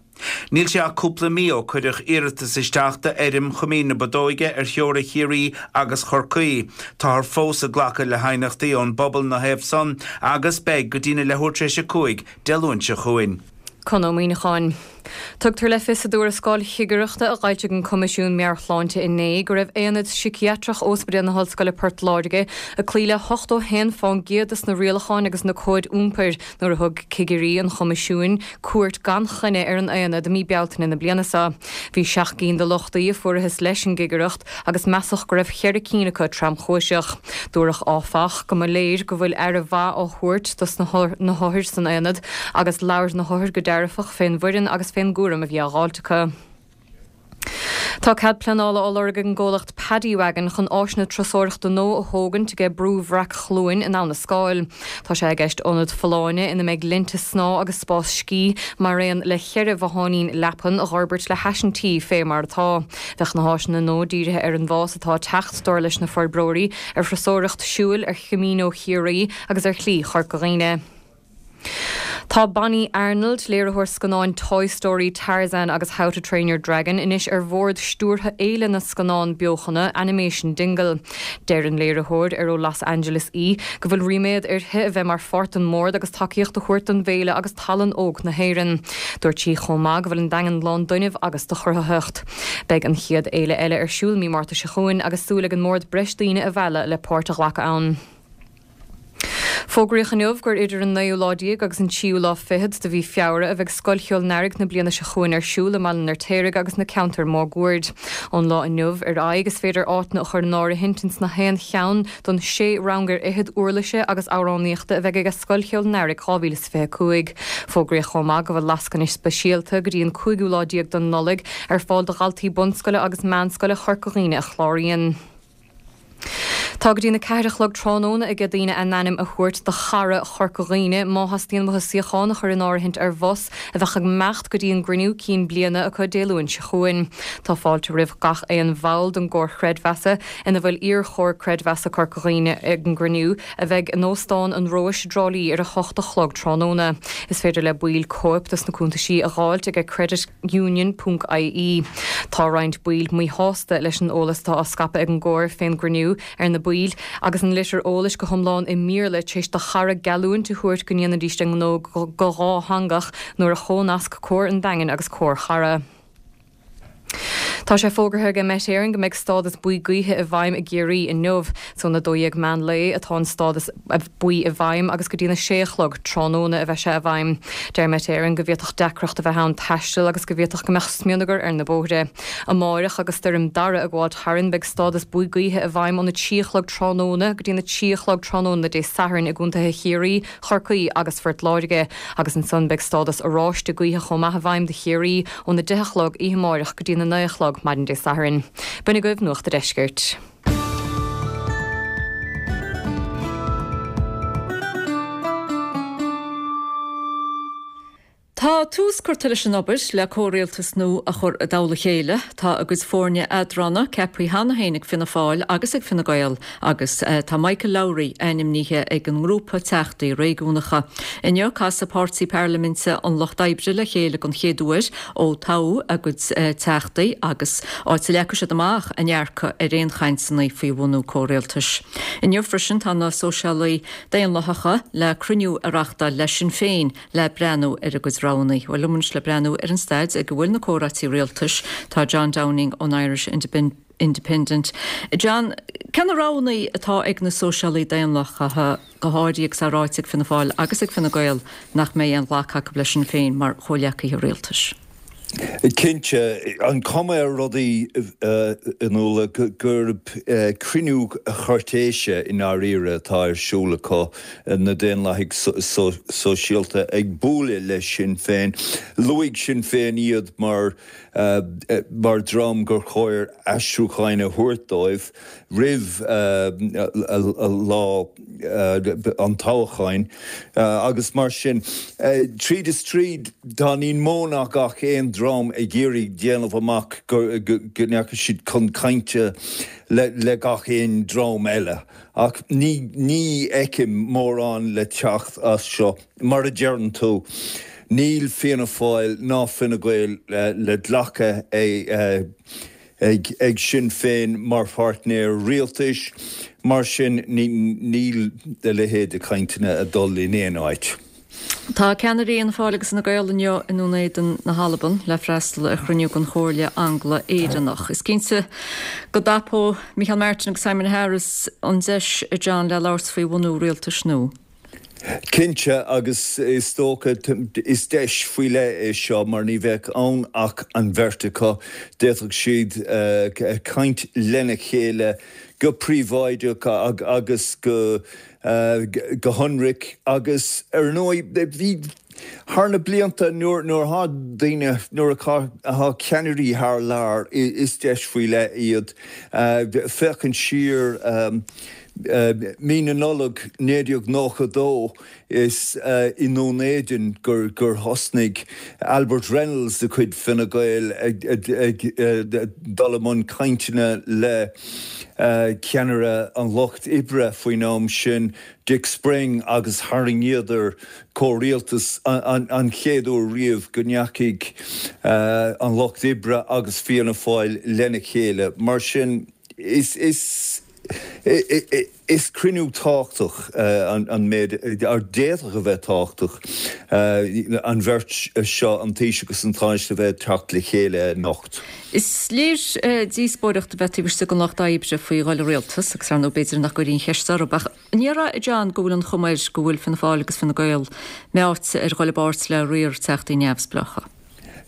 Níl sé ach cúpla mí ó cuireadh iarratas isteach d'fheirm Choimín na Bodóige ar theora Chiarraí agus Chorcaí. Táthar fós ag glacadh le haighneachtaí ón bpobal ina thaobh san agus beidh go dtína leathuair tar éis a cúig Dé Luain seo chugainn. Con Ó Muíneacháin. Tugtar le fios i dtuarascáil chigireachta a d'fhoilsigh an Coimisiún Meabhair-Shláinte inné go raibh Aonad Síciatrach Ospidéal na hOllscoile Port Láirge ag cloí le hochtó a haon fán gcéad de na rialacháin agus na cóid iompair nuair a thug cigirí an Choimisiúin cuairt gan choinne ar an aonad i mí Bealtaine na bliana seo. Bhí seacht gcinn de lochtaí a fuarthas leis an gcigireacht agus measadh go raibh ceithre cinn acu tromchúiseach. Dúradh áfach go mba léir go bhfuil aire mhaith á thabhairt dos na hothair san aonad agus labhair na hothair go dearfach fén bhfoireann agus fén gcúram a bhí á dháilt acu. Tá cead pleanála á lorg ag an gcomhlacht Paddy Wagon chun áiseanna turasóireachta nua a thógaint ag Brú Bhreac Chluain in Abha na Scáil. Tá sé i gceist ionad folláine ina mbeidh linnte snámha agus spás scí mar aon le ceithre bhotháinín leapan a dh'fhorbairt le hais an tí fé mar atá. Bheadh na háiseanna nua dírithe ar an bhfás atá ag teacht, dar leis na forbróirí, ar thurasóireacht siúil ar Chamino Chiarraí agus ar Shlí Chorca Dhuibhne. Tá Bonnie Arnold, léiritheoir scannáin Toy Story, Tarzan agus How to Train Your Dragon, anois ar bhord stiúrtha Fhéile na Scannán Beochana Animation Dingle. Deir an léiritheoir ar ó Los Angeles í go bhfuil ríméad uirthi a bheith mar pháirt den mbord agus tacaíocht a thabhairt don bhféile agus tallann óg na hÉireann. Dúirt sí chomh maith go bhfuil an Daingean lán d'fhuinneamh agus de chruthaitheacht. Beidh an chéad fhéile eile ar siúl mí Márta seo chugainn agus súil ag an mbord breis daoine a mhealladh le páirt a ghlacadh ann. Fógraíodh inniu gur idir an naoú lá déag agus an tríú lá fichead de mhí Feabhra a bheidh Scoil Cheoil an Earraigh na bliana seo chugainn ar siúl i mBaile an Fheirtéaraigh agus na ceantair máguaird. Ón lá inniu ar aghaidh is féidir áiteanna a chur in áirithint ins na haon cheann don sé rang ar fhichead uirlise agus amhránaíochta a bheidh ag Scoil Cheoil an Earraigh dhá mhíle is fiche a cúig. Fógraíodh chomh maith go bhfuil lascaine speisialta go dtí an cúigiú lá déag den Nollaig ar fáil do dhaltaí bunscoile agus meánscoile Chorca Dhuibhne a chláraíonn. Tá go dtí na ceathair a chlog tráthnóna ag daoine a n-ainm a thabhairt do chara Chorca Dhuibhne má theastaíonn uathu suíochán a chur in áirithint ar bhus a bheadh ag imeacht go dtí an gcruinniú cinn bliana acu Dé Luain seo chugainn. Tá fáilte roimh gach aon bhall den gComhar Creidmheasa ina bhfuil iar-Chomhar Creidmheasa Corca Dhuibhne ag an gcruinniú a bheidh in Óstán an Róis i dTrá Lí ar a hocht a chlog tráthnóna. Is féidir le baill cóip dos na cuntaisí a dh'fháilt ag creditunion ponc ie. Tá roinnt baill míshásta leis an eolas atá á scaipeadh ag an gComhar fén gcruinniú ar na baill agus an litir eolais go hiomlán i mBéarla tar éis do Chara geallúint a thabhairt go ndéanfaidís a ngnó go dhátheangach nuair a chónasc Comhar an Daingin agus Comhar Chara. Tá sé fógartha ag Met Éireann go mbeidh stádas buí gaoithe i bhfeidhm i gCiarraí inniu. Is óna dó dhéag meán lae atá an stádas buí i bhfeidhm agus go dtína sé a chlog tráthnóna a bheidh sé i bhfeidhm. Deir Met Éireann go bhféadfadh deacracht a bheith ann taisteal agus go bhféadfadh go mbeadh smionagar ar na bóithre. Amáireach agus stoirm Dara ag gabháilt tharainn beidh stádas buí gaoithe i bhfeidhm óna trí a chlog tráthnóna go dtína trí a chlog tráthnóna Dé Sathairn i gcontaetha Chiarraí, Chorcaí agus Phort Láirge agus ansan beidh stádas oráiste gaoithe chomh maith i bhfeidhm do Chiarraí óna deich a chlog oíche amáireach go dtína naoi a chlog maidin Dé Sathairn. B'in agaibh Nuacht a' Deiscirt. Tá tús curtha leis an obair le comhrialtas nua a chur i dtoll a chéile. Tá a gcuid foirne eadrána ceaptha cheana féin ag Fianna Fáil agus ag Fine Gael agus tá Michael Lowry ainmnithe ag an ngrúpa Teachtaí Réigiúnacha. Inniu casfaidh Páirtí Parlaiminte an Lucht Oibre le chéile den chéad uair ó toghadh a gcuid Teachtaí agus áit a leagfaidh siad amach a ndearcadh ar aon chainteanna faoi bhunú comhrialtais. Inniu freisin tá na Sóisialaigh Daonlathacha le cruinniú a reáchtáil le Sinn Féin le breathnú ar a gcuid roghanna. Bhuel liom anois le breathnú ar an staid ag a bhfuil na comhráití rialtais tá John Downing ón Irish Independent. John, cé na roghanna atá ag na Sóisialaigh Daonlathacha go háirithe agus é ráite ag Fianna Fáil agus ag Fine Gael nach mbeidh aon ghlacadh acu le Sinn Féin mar chomhghleacaithe rialtais? Cinnte, an cuma ar rudaí a Nuala gurb cruinniú cúirtéise i ndáiríre atá ar siúl acu, na Daonlathaigh Sóisialta ag bualadh le Sinn Féin. Luaigh Sinn Féin iad mar mar dhream gur chóir aistriúcháin a thabhairt dóibh roimh lá an toghcháin agus mar sin, tríd is tríd, tá níos mó ná gach aon dream ag iarraidh déanamh amach go ndeachaigh siad chun cainte le gach aon dream eile. Ach ní fheicim mórán le teacht as seo. Mar a deireann tú, níl Fianna Fáil ná Fine Gael le glacadh ag Sinn Féin mar pháirtnéir rialtais, mar sin níl a leithéid de chainteanna ag dul in aon áit. Tá ceannairí Fhianna Fáil agus Fhine Gael inniu i nDún Éideann na hAlban le freastal ar chruinniú den Chomhairle Angla-Éireannach. Is cinnte go dtapóidh Micheál Martin agus Simon Harris an deis, a John, le labhairt faoi bhunú rialtais nua. Cinnte, agus is dócha, is deis faoi leith é seo mar ní bheadh ann ach an bheirt acu. D'fhéadfadh siad caint lena chéile go príobháideach agus go go hionraic agus ar ndóigh bhí thar na blianta nuair nuair atá daoine nuair atá ceannairí thar lear is deis faoi leith iad féachaint siar Mí na Nollag naoi déag nócha dó is i nDún Éideann gur thosnaigh Albert Reynolds de chuid Fine Gael ag dul i mbun cainteanna le ceannaire an Lucht Oibre faoin am sin, Dick Spring, agus tharraingíodar comhrialtas an chéad uair riamh go ndeachaigh an Lucht Oibre agus Fianna Fáil lena chéile. Mar sin, is. Is cruinniú tábhachtach an méid, ar d'fhéadfadh a bheith tábhachtach, an bheirt seo, an Taoiseach agus an Tánaiste, a bheith ag teacht le chéile anocht. Is léir díospóireacht a bheith taobh istigh den Lucht Oibre faoi dhul i rialtas agus ar ndóigh b'fhéidir nach gcuirfí an cheist orthu ach an ndéarfá, a John, go bhfuil an chuma air go bhfuil Fianna Fáil agus Fine Gael meáite ar dhul i bpáirt le riar teachtaí neamhspleácha?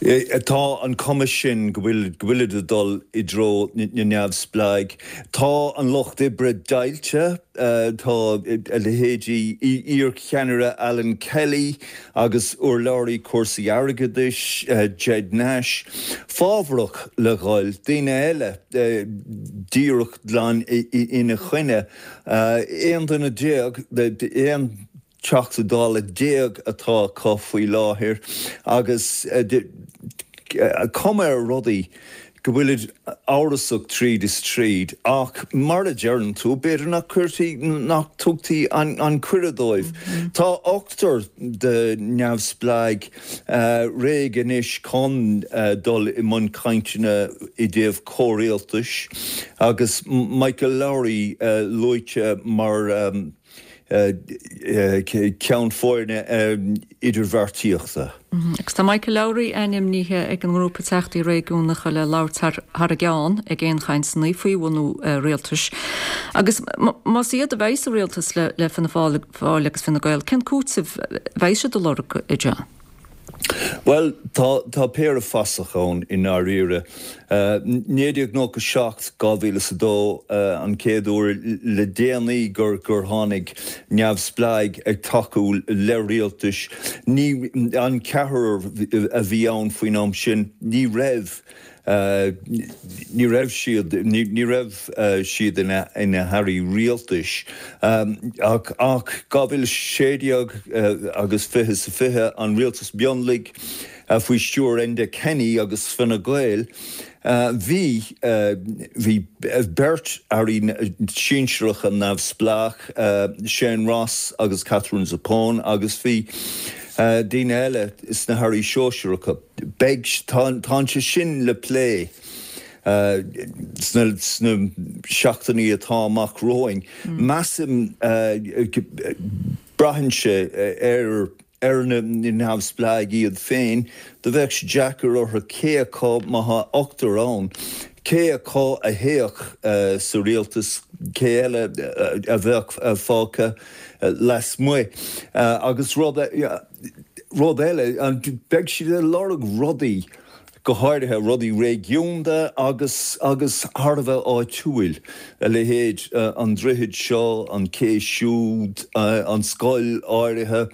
Tá an cuma sin go bhfuil go bhfuilid ag dul i dtreo na neamhspleáigh. Tá an lucht oibre deighilte, tá a leithéidí iarcheannaire Alan Kelly agus urlabhraí cúrsaí airgeadais Ged Nash fábharach le dhul, daoine eile díreach glan ina choinne. Aon duine déag, aon Teachta Dála déag atá acu faoi láthair agus cuma ar rudaí go bhfuilid amhrasach tríd is tríd ach mar a deireann tú, b'fhéidir nach cuirtí, nach dtugtaí an cuireadh dóibh. Tá ochtar de neamhspleáigh réidh anois chun dul i mbun cainteanna i dtaobh comhrialtais agus Michael Lowry luaite mar ceann foirne idirbheartaíochta. Agus tá Michael Lowry ainmnithe ag an ngrúpa Teachtaí Réigiúnacha le labhairt thar a gceann ag aon chainteanna faoi bhunú rialtais. Agus más iad a bheidh sa rialtas le Fianna Fáil agus Fine Gael, cén cúiteamh a bheidh siad a lorg, a John? Bhuel, tá, tá péire fasach ann i ndáiríre. naoi déag nócha seacht, dhá mhíle is a dó an chéad uair le déanaí gur, gur tháinig neamhspleáigh ag tacú le rialtais. Ní, an ceathrar a bhí ann faoin am sin, ní raibh, ní raibh siad, ní raibh siad ina n-airí rialtais. Ach dhá mhíle a sé déag agus fiche is a fiche, an rialtas mionlaigh faoi stiúir Enda Kenny agus Fine Gael, bhí, bhí beirt airí sinsearacha neamhspleách, Shane Ross agus Katherine Zappone, agus bhí daoine eile sna hairí sóisearacha. Beidh, tá, tá sé sin le plé sna, sna seachtainí atá amach romhainn. Measaim, braitheann sé ar, ar na neamhspleáigh iad féin, do bheadh sé deacair orthu cé acu, má tá ochtar ann, cé acu a théadh sa rialtas, cé eile a bheadh fágtha lasmuigh. Agus rud rud eile, beidh siad ag lorg rudaí, go háirithe rudaí réigiúnda agus agus thar a bheith áitiúil, a leithéid an droichead seo, an cé siúd, an scoil áirithe.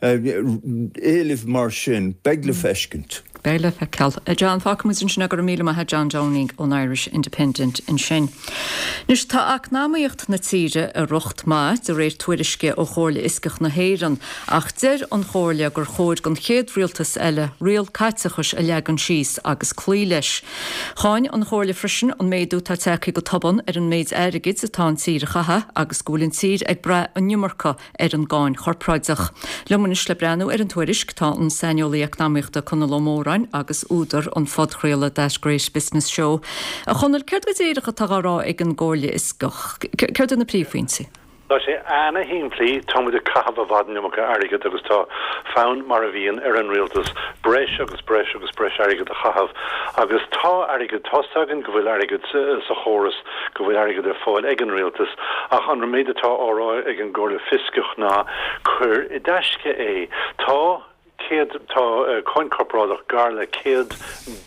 Éilimh mar sin, beidh le feiscint. Beidh le feiceáil. A John, fágfaimid ansin é, go raibh míle maith agat John Downing ón Irish Independent ansin. Anois tá eacnamaíocht na tíre i riocht maith, de réir tuairisce ó Chomhairle Fhioscach na hÉireann, ach deir an Chomhairle gur chóir don chéad rialtas eile riail caiteachais a leagan síos agus cloí leis. Cháin an Chomhairle freisin an méadú atá tagtha go tobann ar an méid airgid atá an tír a chaitheamh agus go bhfuil an tír ag brath an iomarca ar an gcáin chorpráideach. Liom anois le breathnú ar an tuairisc tá an saineolaí eacnamaíochta Conall Ó Móráin agus údar an phodchraoladh That Great Business Show. A Chonaill, céard go díreach atá á rá ag an gComhairle Fhioscach? Céard iad na príomhphointí? Tá sé ana-shimplí, tá muid ag caitheamh i bhfad an iomarca airgid agus tá fonn, mar a bhíonn, ar an rialtas breis agus breis agus breis airgid a chaitheamh. Agus tá airgead, tá's againn go bhfuil airgead sa chóras, go bhfuil airgead ar fáil ag an rialtas, ach an méid atá á rá ag an gComhairle Fioscach ná cuir i dtaisce é. Tá céad, tá cáin corparáideach gar le céad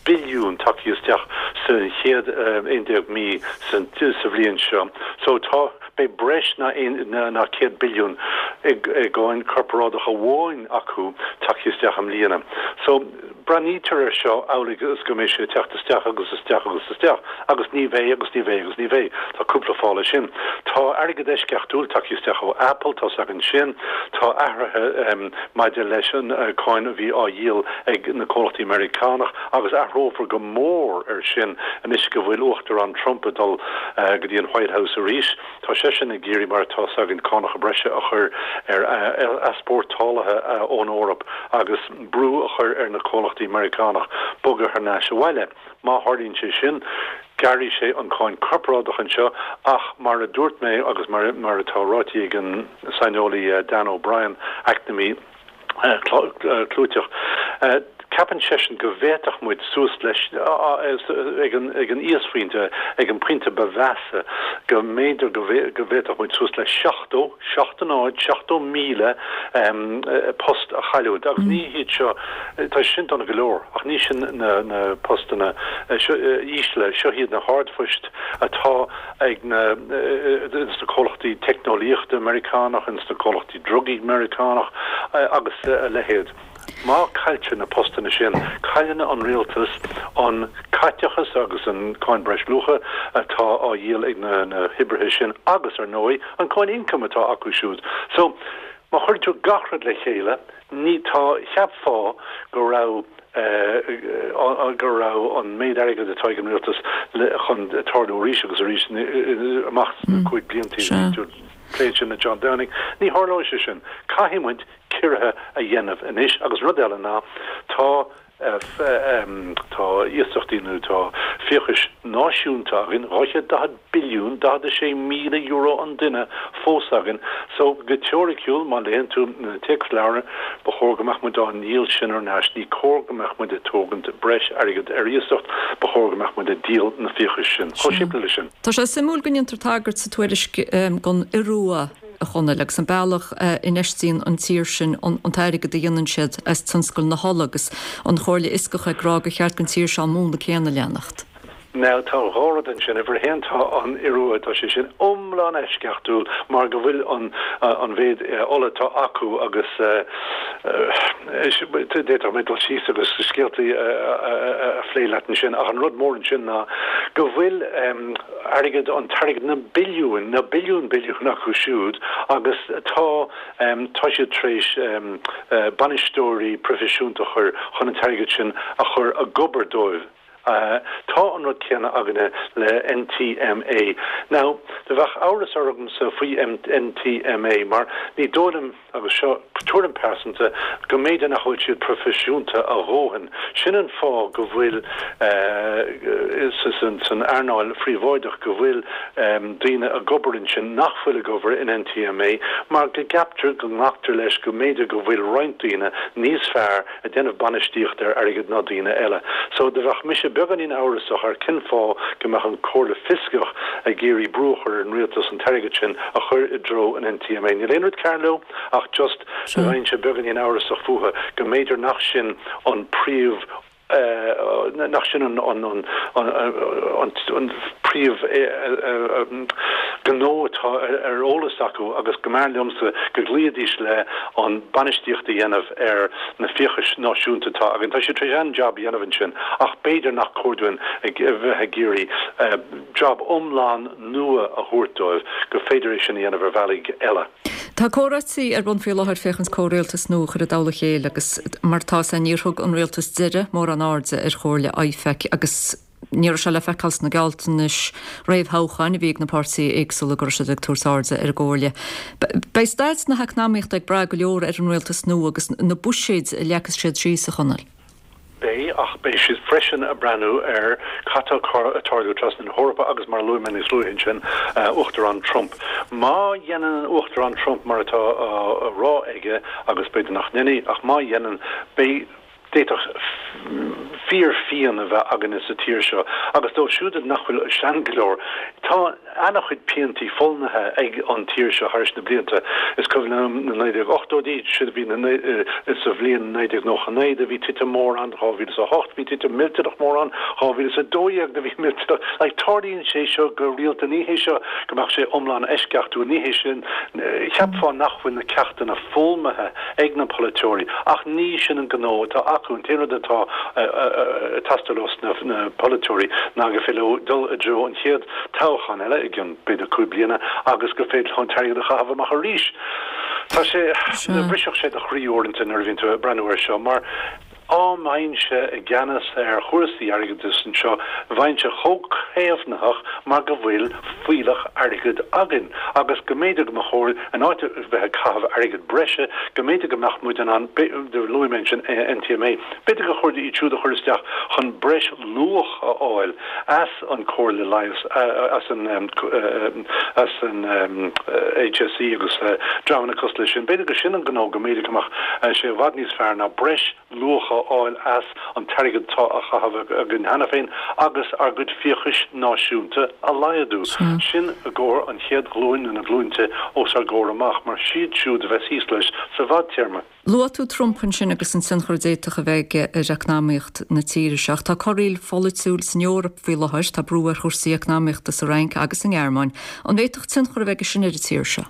billiún tagtha isteach sa chéad aon déag mí sa bhliain seo. So tá, beidh breis ná ná céad billiún i gcáin corparáideach amháin acu tagtha isteach i mbliana. So breathnaítear air seo amhlaidh is go mbeidh sé ag teacht isteach agus isteach agus isteach agus ní bheidh agus ní bheidh agus ní bheidh. Tá cúpla fáth leis sin. Tá airgead eisceachtúil tagtha isteach ó Apple, tá's againn sin. Tá athruithe maidir leis an cáin a bhí á dhíol ag na comhlachtaí Meiriceánach agus athrófar go mór ar sin anois go bhfuil Uachtarán Trump ag dul go dtí an White House arís. Tá seisean ag iarraidh, mar atá's againn, cánacha breise a chur ar easpórtálaithe ón Eoraip agus brú a chur ar na comhlachtaí Meiriceánach bogadh thar n-ais abhaile. Má tharlaíonn sé sin, gearrfaidh sé an cáin corparáideach anseo ach mar a dúirt mé agus mar atá ráite ag an saineolaí Dan O'Brien, eacnamaí clúiteach, Ceapann seisean go bhféadfadh muid suas leis, ag an ag an íosphointe, ag an bpointe ba mheasa, go mb'fhéidir go bhféadfadh muid suas le seachtó, seacht a náid, seachtó míle post a chailliúint. Agus ní hiad seo, tá sin dona go leor, ach ní sin na na postanna ísle, seo iad na hardphoist atá ag na ins na comhlachtaí teicneolaíochta Meiriceánach, ins na comhlachtaí drugaí Meiriceánach agus a leithéid. Má cailltear na postanna sin, cailleann an rialtas an caiteachas agus an cáin breisluacha atá á dhíol ag na hoibrithe sin agus, ar ndóigh, an cáin ioncaim atá acu siúd. So, má chuireann tú gach rud le chéile, ní, tá, cheapfá go raibh, go raibh an méid airgid atá ag an rialtas le, chun tarlú arís agus arís amach sna cúig blianta, bhí tú ag plé sin le John Downing, ní tharlóidh sé sin. Caithfidh muid ciorruithe a dhéanamh anois agus rud eile ná tá tá iasachtaí nó tá fiachais náisiúnta againn, dhá chéad daichead billiún, daichead a sé míle euro an duine fós againn. So go teoiriciúil, má léann tú na téacsleabhair, ba chóir go mbeadh muid á ndíol sin thar n-ais, ní cóir go mbeadh muid ag tógaint breis airgid ar iasacht, ba chóir go mbeadh muid ag díol na fiachais sin. Chomh simplí leis sin. Tá sé suimiúil go ndéantar tagairt sa tuairisc don Iorua, a Chonaill, agus an bealach a infheistíonn an tír sin an t-airgead a dhéanann siad as tionscal na hola agus an Chomhairle Fhioscach ag rá gur cheart don tír seo an múnla céanna a leanacht. Now tá dhá rud ansin. Uimhir a haon tá an Iorua, tá sé sin iomlán eisceachtúil mar go bhfuil an an mhéid ola atá acu agus d'fhéadfadh mé dul síos agus scéaltaí a phlé leat ansin ach an rud mór ansin ná go bhfuil airgead, an t-airgead, na billiúin, na billiúin billiún acu siúd agus tá, tá siad tar éis bainisteoirí proifisiúnta a chur chun an t-airgead sin a chur ag obair dóibh. Tá an rud céanna againne le N T M A. Now, do bheadh amhras ormsa faoi N T M A mar ní dóigh liom, agus seo tuairim pearsanta, go mb'fhéidir nach bhfuil siad proifisiúnta a dhóthain. Sin an fáth go bhfuil san earnáil phríobháideach go bhfuil daoine ag obair ansin nach bhfuil ag obair in N T M A mar go gceaptar, go nglactar leis go mb'fhéidir go bhfuil roinnt daoine níos fearr ag déanamh bainistíocht ar airgead ná daoine eile. So do bheadh mise beagáinín amhrasach ar cén fáth go mbeadh an Chomhairle Fioscach ag iarraidh brú a chur ar an rialtas an t-airgead sin a chur i dtreo an N T M A. Níl aon rud cearr leo ach just do bheinnse beagáinín amhrasach fúthu go mb'fhéidir nach sin an príomh nach sin an príomh gnó atá ar eolas acu agus go mb'fhearr liomsa go gcloífidís le an bainistíocht a dhéanamh ar na fiachais náisiúnta atá againn. Tá siad tar éis an-jab a dhéanamh ansin ach b'fhéidir nach cóir dúinn a bheith ag iarraidh jab iomlán nua a thabhairt dóibh, gur féidir é sin a dhéanamh ar bhealaí eile. Tá comhráití ar bun faoi láthair féachaint comhrialtas nua a chur i dtoll a chéile agus mar atá sé níor thug an rialtas deiridh mórán airde ar chomhairle I F E C agus ní raibh sé le feiceáil sna gealltanais réamhthoghcháin a bhí ag na páirtithe éagsúla go raibh siad ag tabhairt airde ar an gcomhairle. Beidh staid na heacnamaíochta ag brath go leor ar an rialtas nua agus na buiséid a leagfas siad síos, a Chonaill. Beidh, ach beidh siad freisin ag breathnú ar cad tá ag tarlú trasna na hEorpa agus mar a luaigh mé níos luaithe ansin, Uachtarán Trump. Má dhéanann an Uachtarán Trump mar atá á rá aige, agus b'fhéidir nach ndéanfaidh, ach má dhéanann, beidh, d'fhéadfadh fíorphian a bheith againne sa tír seo. Agus dóibh siúd nach bhfuil sean go leor, tá an-chuid piantaí fulaingthe ag an tír seo thar na blianta. Is cuimhin liom na naoi déag ochtóidí, siad a bhí sa bhliain naoi déag nócha naoi do bhí titim mór ann, dhá mhíle is a hocht bhí titim millteanach mór ann, dhá mhíle is a dó dhéag do bhí millteanach. Like, tarlaíonn sé seo go rialta, ní hé seo go mbeadh sé iomlán eisceachtúil, ní hé sin, cheapfá nach bhfuil na ceachtanna foghlamtha ag na polaiteoirí, ach ní sin an gnó atá acu. An t-aon rud atá ag teastáil ós na polaiteoirí ná gur féidir leo dul i dtreo an chéad toghchán eile i gcionn b'fhéidir cúig bliana agus gur féidir leo an t-airgead a chaitheamh amach arís. Tá sé, brisfeadh sé do chroí uaireanta nuair a bhíonn tú ag breathnú air seo mar dá mbeinnse i gceannas ar chúrsaí airgeadais anseo bheinnse chomh caomhnaitheach mar go bhfuil fuílleach airgid againn agus go mb'fhéidir go mba chóir, in áit a bheith ag caitheamh airgead breise, go mb'fhéidir go mbeadh muid in ann, luaigh mé ansin N T M A, b'fhéidir gur chóir iad siúd a chur isteach chun breis luach a fháil as an Comhairle Leighis, as an as an H S E agus dreamanna cosúil leis sin. B'fhéidir gur sin an gnó go mb'fhéidir go mbeadh sé i bhfad níos fearr ná breis luach a fháil as an t-airgead atá á chaitheamh againn cheana féin agus ár gcuid fiachais náisiúnta a laghdú. Sin i gcomhair an chéad ghlúin nó na glúinte os ár gcomhair amach, mar siad siúd a bheas thíos leis sa bhfadtéarma. Luaigh tú Trump ansin agus an tionchar a d'fhéadfadh a bheith aige ar eacnamaíocht na tíre seo. Ach tá corraíl pholaitiúil san Eoraip faoi láthair, tá brú ar chúrsaí eacnamaíochta sa Fhrainc agus sa nGearmáin. An bhféadfadh tionchar a bheith aige sin ar an tír seo?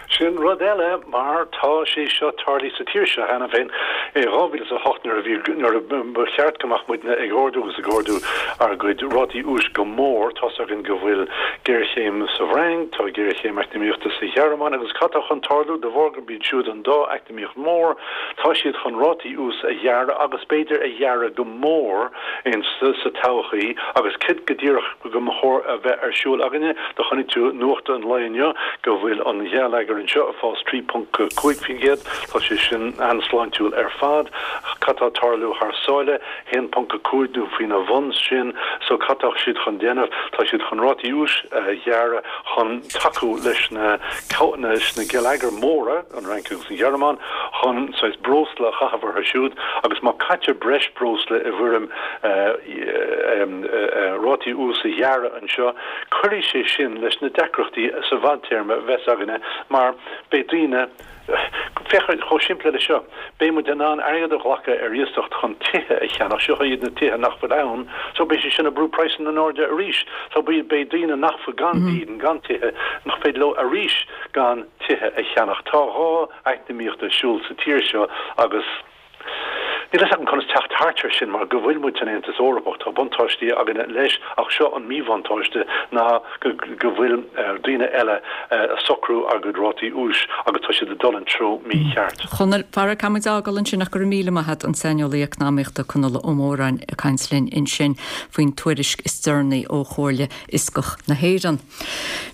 Sin rud eile, mar tá sé seo tarlaithe sa tír seo cheana féin i dhá mhíle is a hocht nuair a bhí, nuair a ba cheart go mbeadh muidne ag ardú agus ag ardú ár gcuid rátaí úis go mór. Tá's againn go bhfuil géarchéim sa bhFrainc, tá géarchéim eacnamaíochta sa Ghearmáin agus cad tá chun tarlú de bharr gurb iad siúd an dá eacnamaíocht mhór, tá siad chun rátaí úis a ghearradh agus b'fhéidir a ghearradh go mór in sa todhchaí agus cad go díreach go mba chóir a bheith ar siúl againne. Do chonaic tú nuacht an lae inniu go bhfuil an geilleagar anseo ag fás trí ponc cúig faoin gcéad, tá sé sin an-sláintiúil ar fad. Cad tá ag tarlú thar sáile? haon ponc a cúig nó faoina bhun sin. So cad tá siad chun déanamh? Tá siad chun rátaí úis a ghearradh chun tacú leis na leis na geilleagair mhóra, an Fhrainc agus an Ghearmáin, chun saghas breosla a chaitheamh orthu siúd agus má caitear breis breosla i bhfoirm rátaí úis a ghearradh anseo, cuirfidh sé sin leis na deacrachtaí sa bhfadtéarma a bheas againne mar beidh daoine, féach chomh simplí le seo, beidh muid in ann airgead a ghlacadh ar iasacht chun tithe a cheannach, seo iad na tithe nach bhfuil ann, so beidh sé sin ag brú praghsanna in airde arís, so beidh daoine nach bhfuil gan dídean, gan tithe, nach féidir leo arís gan tithe a cheannach. Tá dhá eacnamaíocht ar siúl sa tír seo agus níl fhios agam conas teacht thart air sin mar go bhfuil muid san Aontas Eorpach. Tá buntáistí againne leis ach seo an míbhuntáiste ná go go bhfuil daoine eile ag socrú ár gcuid rátaí úis agus tá siad ag dul an treo mícheart. Chonaill, fara, caithfidh muid a fhágáil ansin ach go raibh míle maith agat, an saineolaí eacnamaíochta Conall Ó Móráin ag caint linn ansin faoin tuairisc is deireanaí ó Chomhairle Fhioscach na hÉireann.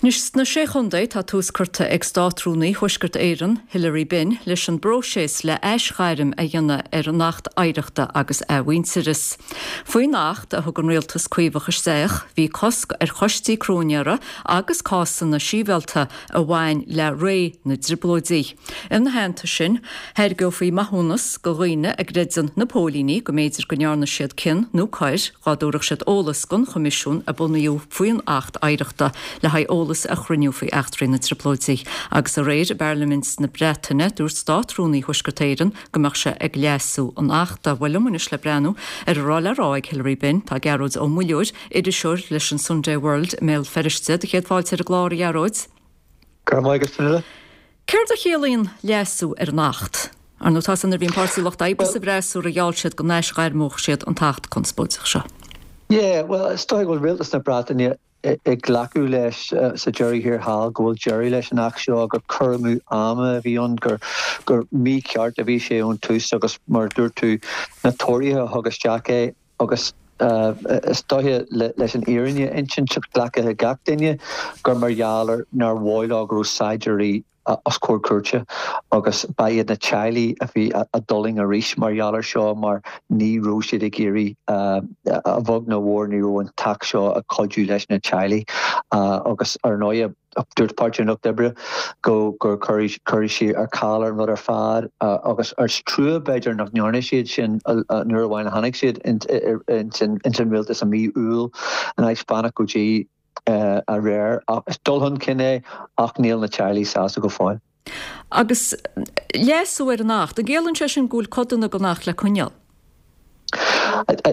Anois sna Sé Chontae tá tús curtha ag Státrúnaí Thuaisceart Éireann, Hilary Benn, leis an bpróiseas le aisghairm a dhéanamh ar an Acht Oidhreachta agus Athmhuintearais. Faoin Acht a thug an Rialtas Caomhach isteach, bhí cosc ar choistí cróinéara agus cásanna sibhialta a bhain le ré na dTrioblóidí. Ina theannta sin, thairgeofaí maithiúnas go dhaoine a gcreideann na póilíní go mb'fhéidir go ndearna siad cion nó coir dhá dtabharfadh siad eolas don Choimisiún a bunaíodh faoin Acht Oidhreachta le haghaidh eolas a chruinniú faoi eachtraí na dTrioblóidí. Agus aréir i bParlaimint na Breataine, dúirt Státrúnaí Thuaisceart Éireann go mbeadh sé ag leasú an Achta. Bhuel liom anois le breathnú ar a raibh le rá ag Hilary Benn, tá Gearóid Ó Muilleoir, iriseoir leis an Sunday World i mBéal Feirste. Do chéad fáilte ar an gclár, a Ghearóid. Go raibh maith agat, Fionnuala. Céard a chiallaíonn leasú ar an Acht? Ar ndóigh, tá san nuair a bhí an Páirtí Lucht Oibre sa bhfreasúra gheall siad go n-aisghairmeodh siad an tAcht conspóideach seo. Yeah, bhuel, is dóigh go bhfuil Rialtas na Breataine ag glacadh leis sa deireadh thiar thall go bhfuil deireadh leis an Acht seo, gur cur amú ama a bhí ann, gur gur mícheart a bhí sé ón tús agus mar a dúirt tú, na Tóraithe a thug isteach é agus is dóiche leis an fhírinne a insint, glactha ag gach duine gur mar gheall ar nár mhaith leo go raibh saighdiúirí os comhair cúirte agus ba iad na teaghlaigh a bhí a d'fhulaing arís mar gheall air seo mar ní raibh siad ag iarraidh, a bheag nó a mhór, ní raibh an t-acht seo ag cuidiú leis na teaghlaigh agus ar ndóigh dúirt Páirtí an Lucht Oibre go gur cuirfidh siad ar ceal an rud ar fad agus is trua b'fhéidir nach ndearna siad sin nuair amháin a tháinig siad ins an rialtas i mí Iúil in áit fanacht go dtí aréir. Is dul chun cinn é ach níl na teaghlaigh sásta go fóill. Agus leasú ar an Acht, an gciallaíonn sé sin go bhfuil codanna den Acht le coinneáil?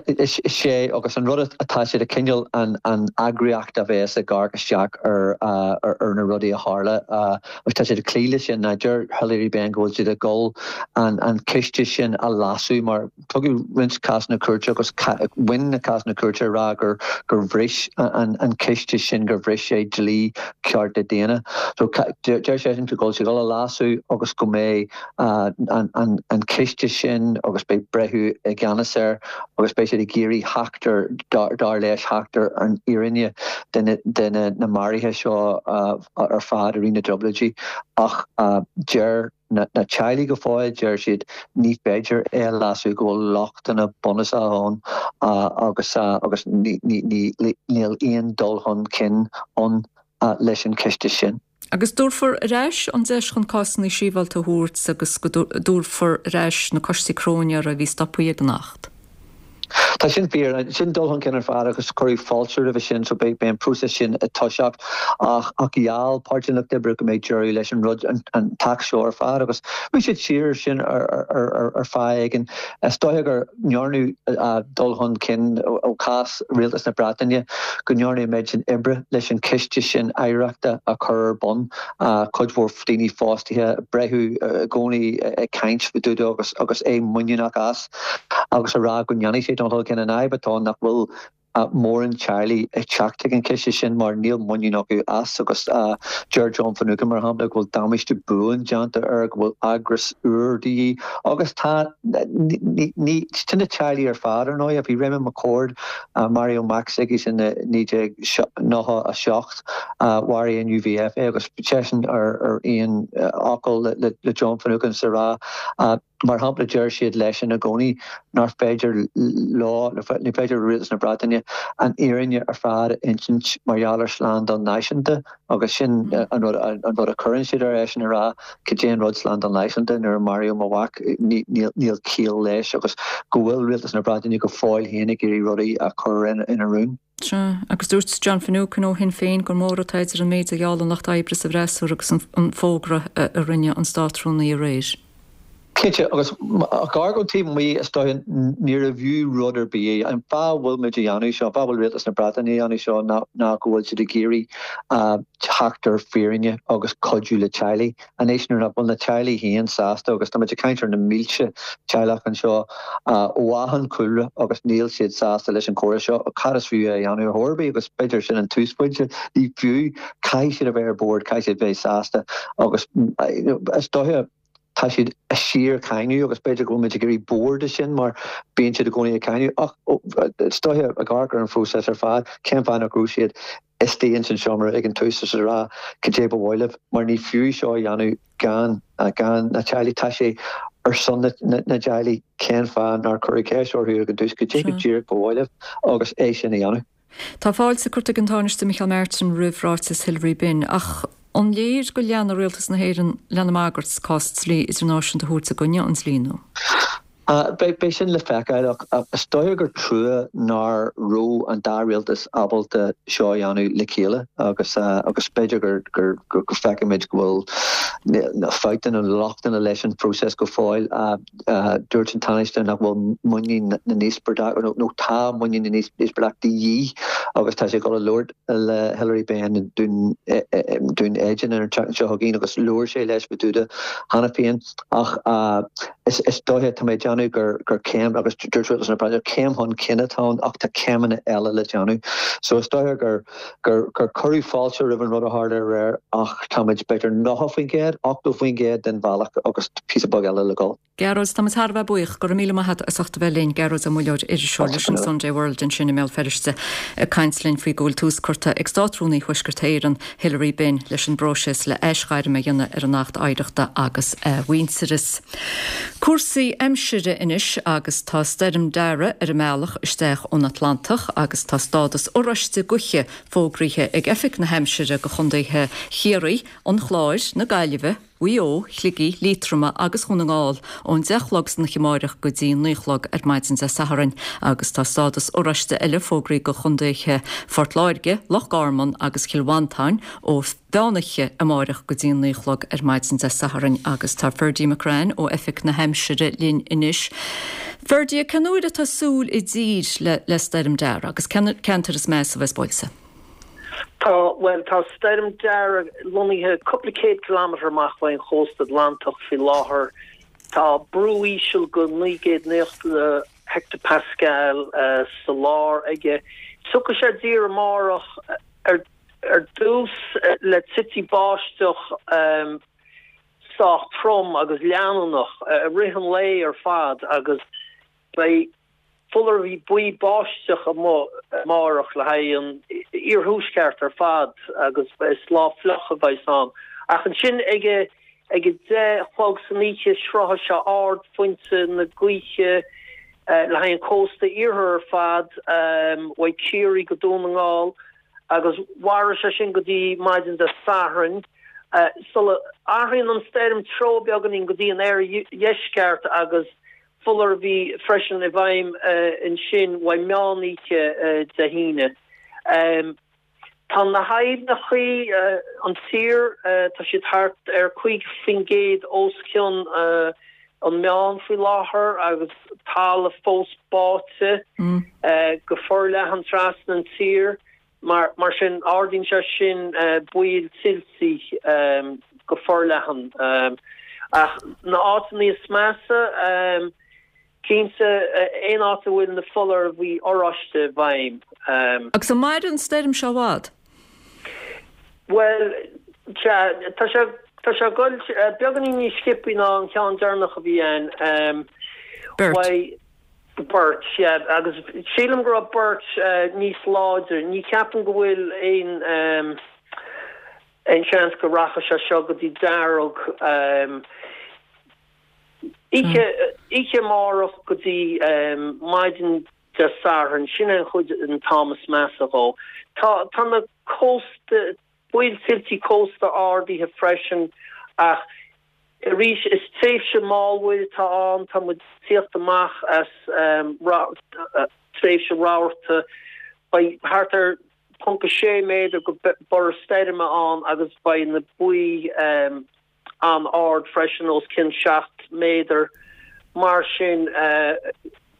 Is é agus an rud atá siad ag coinneáil an an eagraíocht a bheas ag amharc isteach ar ar na rudaí a tharla agus tá siad ag cloí leis sin. Deir Hilary Benn go bhfuil siad ag dul an an ciste sin a leasú mar tugadh roinnt cásanna cúirte agus bhain na cásanna cúirte ag rá gur gur bhris an an ciste sin gur bhris sé dlí cearta daonna. So deir seisean go bhfuil siad ag dul a leasú agus go mbeidh an an an ciste sin agus beidh breitheamh i gceannas air agus beidh siad ag iarraidh theacht ar, dar leis, theacht ar an fhírinne de na maruithe seo ar fad i rith na dTrioblóidí. Ach deir na teaghlaigh go fóill, deir siad, ní féidir é a leasú, go bhfuil lochtanna bunúsacha ann agus agus níl aon dul chun cinn ann leis an chiste sin. Agus dtabharfar ar ais an deis chun cásanna sibhialta a thabhairt agus go dtabharfar ar ais na coistí cróinéara a bhí stoptha ag an Acht. Tá sin fíor, sin dul chun cinn ar fad agus cuireadh fáilte roimhe sin so beidh an próiseas sin ag toiseacht ach ach gheall Páirtí an Lucht Oibre go mbeidh deireadh leis an rud an an t-acht seo ar fad agus bhí siad siar sin ar ar ar ar feadh éigin. Is dóiche gur ndearnadh dul chun cinn ó chás Rialtas na Breataine go ndearnadh an méid sin oibre leis an ciste sin oidhreachta a chur ar bun, cuid mhór daoine fostaithe, breitheamh i gcónaí ag caint fá dtaobh de agus agus é muiníneach as agus a rá go ndéanfaidh sé dul chun cinn. An fhadhb atá ann nach bhfuil mórán teaghlaigh ag teacht chuig an chiste sin mar níl muinín acu as agus deir John Finucane mar shampla go bhfuil damáiste buan déanta air, go bhfuil eagras úr de dhíth agus tá ní sin na teaghlaigh ar fad ar ndóigh. Bhí Raymond McCord, maraíodh mac s'aigesean i naoi déag nócha a seacht, mharaigh an UVF é agus seisean ar aon fhocal le John Finucane sa rá Mar shampla, deir siad leis ina gcónaí nár féidir leo, ní féidir le Rialtas na Breataine an fhírinne ar fad a insint mar gheall ar shlándáil náisiúnta agus sin an rud an rud a chuireann siad ar eisean a rá cad é an rud slándáil náisiúnta nuair a maraíodh mo mhac níl ciall leis agus go bhfuil Rialtas na Breataine go fóill féin ag iarraidh rudaí a chur ina rún. Sea, agus dúirt John Finucane ó Shinn Féin gur mór atá idir an méid a gheall an Lucht Oibre sa bhfreasúra agus an fógra a rinne an Státrúnaí aréir. Cinnte, agus ag amharc ón taobh amuigh, is dóiche, níorbh fhiú rud ar bith é. An fáth a bhfuil muid a dhéanamh seo, an fáth a bhfuil Rialtas na Breataine a dhéanamh seo ná ná go bhfuil siad ag iarraidh teacht ar fírinne agus cuidiú le teaghlaigh. Anois nuair nach bhfuil na teaghlaigh féin sásta, agus tá muid ag caint ar na mílte teaghlach anseo ó achan chúlra agus níl siad sásta leis an chóras seo, cad is fiú é a dhéanamh ar chor ar bith? Agus b'fhéidir sin an túsphointe, ní fiú, caithfidh siad a bheith ar bord, caithfidh siad bheith sásta agus is dóiche, Tá siad ag síorcháineadh agus b'fhéidir go bhfuil muid ag éirí bodhar de sin mar bíonn siad i gcónaí ag cáineadh ach is dóiche ag amharc ar an phróiseas ar fad, cén fáth nach raibh siad istigh ins an seomra ag an tús is ag rá cad é ba mhaith libh mar ní fiú seo a dhéanamh gan gan na teaghlaigh. Tá sé ar son na dteaghlaigh cén fáth nár cuireadh ceist orthu ag an tús cad é go díreach ba mhaith libh agus é sin a dhéanamh. Tá fáilte curtha ag an Tánaiste Micheál Martin roimh ráiteas Hilary Benn ach an léir go leanfaidh Rialtas na hÉireann lena mbagairt cás dlí idirnáisiúnta a thabhairt i gcoinne an dlí nua? Beidh sin le feiceáil ach is dóiche gur trua nach raibh an dá rialtas ábalta seo a dhéanamh le chéile agus agus b'fhéidir gur gur go bhfeicfimid go bhfuil fabhtanna nó lochtanna leis an phróiseas go fóill. Dúirt an Tánaiste nach bhfuil muinín na n-íospartach, nó tá muinín na n-íospartach de dhíth agus tá sé ag dul a labhairt le Hilary Benn i nDún Éideann an tseachtain seo chugainn agus labhair sé leis fá dtaobh de cheana féin ach is dóiche, tá mé ag déanamh gur céim, agus dúirt Rialtas na Breataine, céim chun cinn atá ann ach tá céimeanna eile le déanamh. So is dóiche gur gur cuireadh fáilte roimh an rud a tharla aréir ach táimid b'fhéidir nócha faoin gcéad, ochtó faoin gcéad den bhealach agus píosa beag eile le dhul. Gearóid, tá muid thar a bheith buíoch. Go raibh míle maith agat as ucht a bheith linn. Gearóid Ó Muilleoir, iriseoir leis an Sunday World ansin i mBéal Feirste, ag caint linn faoi go bhfuil tús curtha ag Státrúnaí Thuaisceart Éireann, Hilary Benn, leis an bpróiseas le aisghairm a dhéanamh ar an Acht Oidhreachta agus Athmhuintearais. Cúrsaí aimsire anois agus tá Stoirm Darragh ar an mbealach isteach ón Atlantach agus tá stádas oráiste gaoithe fógraithe ag Oifig na hAimsire do chontaetha Chiarraí, an Chláir, na Gaillimhe, Mhaigh Eo, Shligigh, Liatroma agus Dhún na nGall ón deich a chlog san oíche amáireach go dtí naoi a chlog ar maidin Dé Sathairn agus tá stádas oráiste eile fógraithe do chontaetha Phort Láirge, Loch Garman agus Chill Mhantáin ó mheán oíche amáireach go dtí naoi a chlog ar maidin Dé Sathairn agus tá Ferdie McCrann ó Oifig na hAimsire linn anois. Ferdie, cén uair atá súil i dtír le Stoirm Darragh agus cé na ceantair is measa a bheas buailte? Tá, bhuel, tá Stoirm Darragh lonnaithe cúpla céad kilometre amach faoin chósta Atlantach faoi láthair. Tá brú íseal de naoi gcéad naocha hectopascal sa lár aige. Tiocfaidh sé i dtír amárach ar ar dtús le tití báisteach sách trom agus leanúnach i rith an lae ar fad agus beidh Foláireamh buí báisteach amuigh amárach le haghaidh an iarthuaisceart ar fad agus is lá fliuch a bheas ann. Ach ansin ag a ag a deich a chlog san oíche sroichfidh sé ardphointe na gaoithe le haghaidh an cósta iarthair ar fad, uaidh Ciarraí go Dún na nGall agus mairfidh sé sin go dtí maidin Dé Sathairn. Sula athraíonn an stoirm treo beagáinín go dtí an oirdheisceart agus foláireamh freisin i bhfeidhm ansin uaidh meán oíche Dé hAoine. Tá na haibhneachaí an tír, tá siad thart ar cúig faoin gcéad os cionn an meán faoi láthair agus talamh fós báite go forleathan trasna an tír. Mar mar sin ardaíonn sé sin baol tuilte go forleathan. Ach na áiteanna is measa, cinnte aon áit a bhfuil na foláirimh oráiste i bhfeidhm. Agus an mairfidh an stoirm seo i bhfad? Bhuel, sea, tá sé tá sé ag dul beagáinín níos sciobthaí ná an ceann deireanach a bhí ann. Bert. Bert, yeah, agus sílim go raibh Bert níos láidre. Ní cheapaim go bhfuil aon aon seans go rachaidh sé seo go dtí dearg. Oíche oíche amárach go dtí maidin Dé Sathairn, sin é an chuid an t-am is measa dhó. Tá tá na cósta baol tuiltí cósta ardaithe freisin ach arís is tréimhse mallmhuir atá ann, tá muid ag tíocht amach as tréimhse rabharta. Beidh thart ar ponc a sé méadar go borradh stoirme ann agus beidh na baoth an-ard freisin, os cionn seacht méadar. Mar sin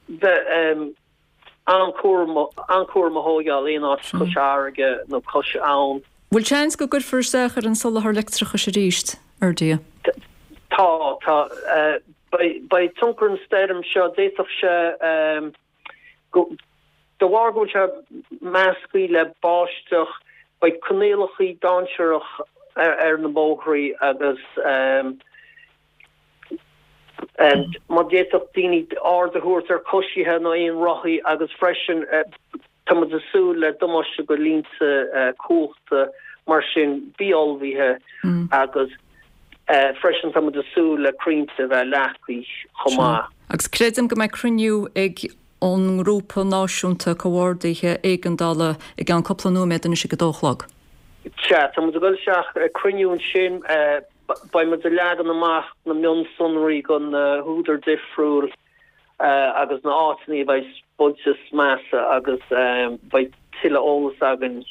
bheith an-chúramach a thógáil aon áit cois fharraige nó cois abhann. Bhfuil seans go gcuirfear isteach ar an soláthar leictreachais arís, Ferdia? Tá, tá. Beidh tionchar an stoirm seo, d'fhéadfadh sé go, de bharr go bhfuil sé measctha le báisteach, beidh coinníollacha dainséarach ar na bóithrí agus má d'fhéadfadh daoine aird a thabhairt ar choisithe nó aon rothaí agus freisin tá muid ag súil le damáiste go línte cumhachta mar sin bí ullmhaithe agus freisin tá muid ag súil le crainnte a bheith leagtha chomh maith. Agus creidim go mbeidh cruinniú ag an nGrúpa Náisiúnta Comhordaithe Éigeandála i gceann cúpla nóiméad anois ag a dó a chlog. Sea, tá muid ag dul isteach ag cruinniú ansin. Beidh muid ag leagan amach na mionsonraí go na húdair difriúil agus na áiteanna a bheidh buailte is measa agus beidh tuilleadh eolas againn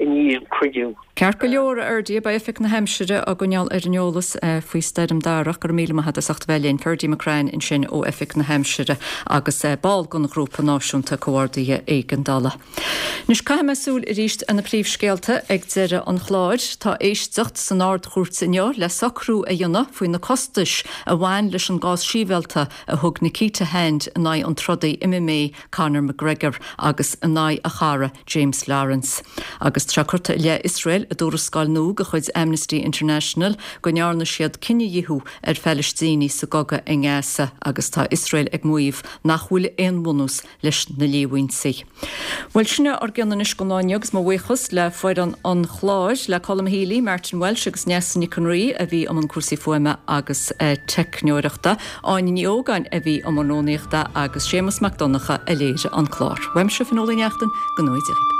i ndiaidh an cruinniú. Ceart go leor, a Fherdie, beidh Oifig na hAimsire á gcoinneáil ar an eolas faoi Stoirm Darach. Go raibh míle maith agat as ucht a bheith linn. Ferdia McCrann ansin ó Oifig na hAimsire agus ball den Ghrúpa Náisiúnta Comhordaithe Éigeandála. Anois caithfidh mé súil arís ar na príomhscéalta ag deireadh an chláir. Tá éisteacht san Ard-Chúirt inniu le socrú a dhéanamh faoi na costais a bhain leis an gcás sibhialta a thug Nikita Hand in aghaidh an trodaí MMA Conor McGregor agus in aghaidh a chara James Lawrence. Agus tá curtha i leith Iosrael i dtuarascáil nua de chuid Amnesty International go ndearna siad cinedhíothú ar Phalaistínigh sa gcogadh i nGaza agus tá Iosrael ag maíomh nach bhfuil aon bhunús leis na líomhaintí. Bhuel, sin é ár gcion anois don lá inniu agus mo bhuíochas le foireann an chláir, le Colm Healy, Martin Walsh agus Neasa Nic an Rí a bhí i mbun cúrsaí fuaime agus teicneoireachta, Áine Ní Ógáin a bhí i mbun rúnaíochta agus Séamus Mac Donncha a léirigh an clár. Uaimse, Fionnuala Ní Neachtain, go ngnóthaí Dia dhaoibh.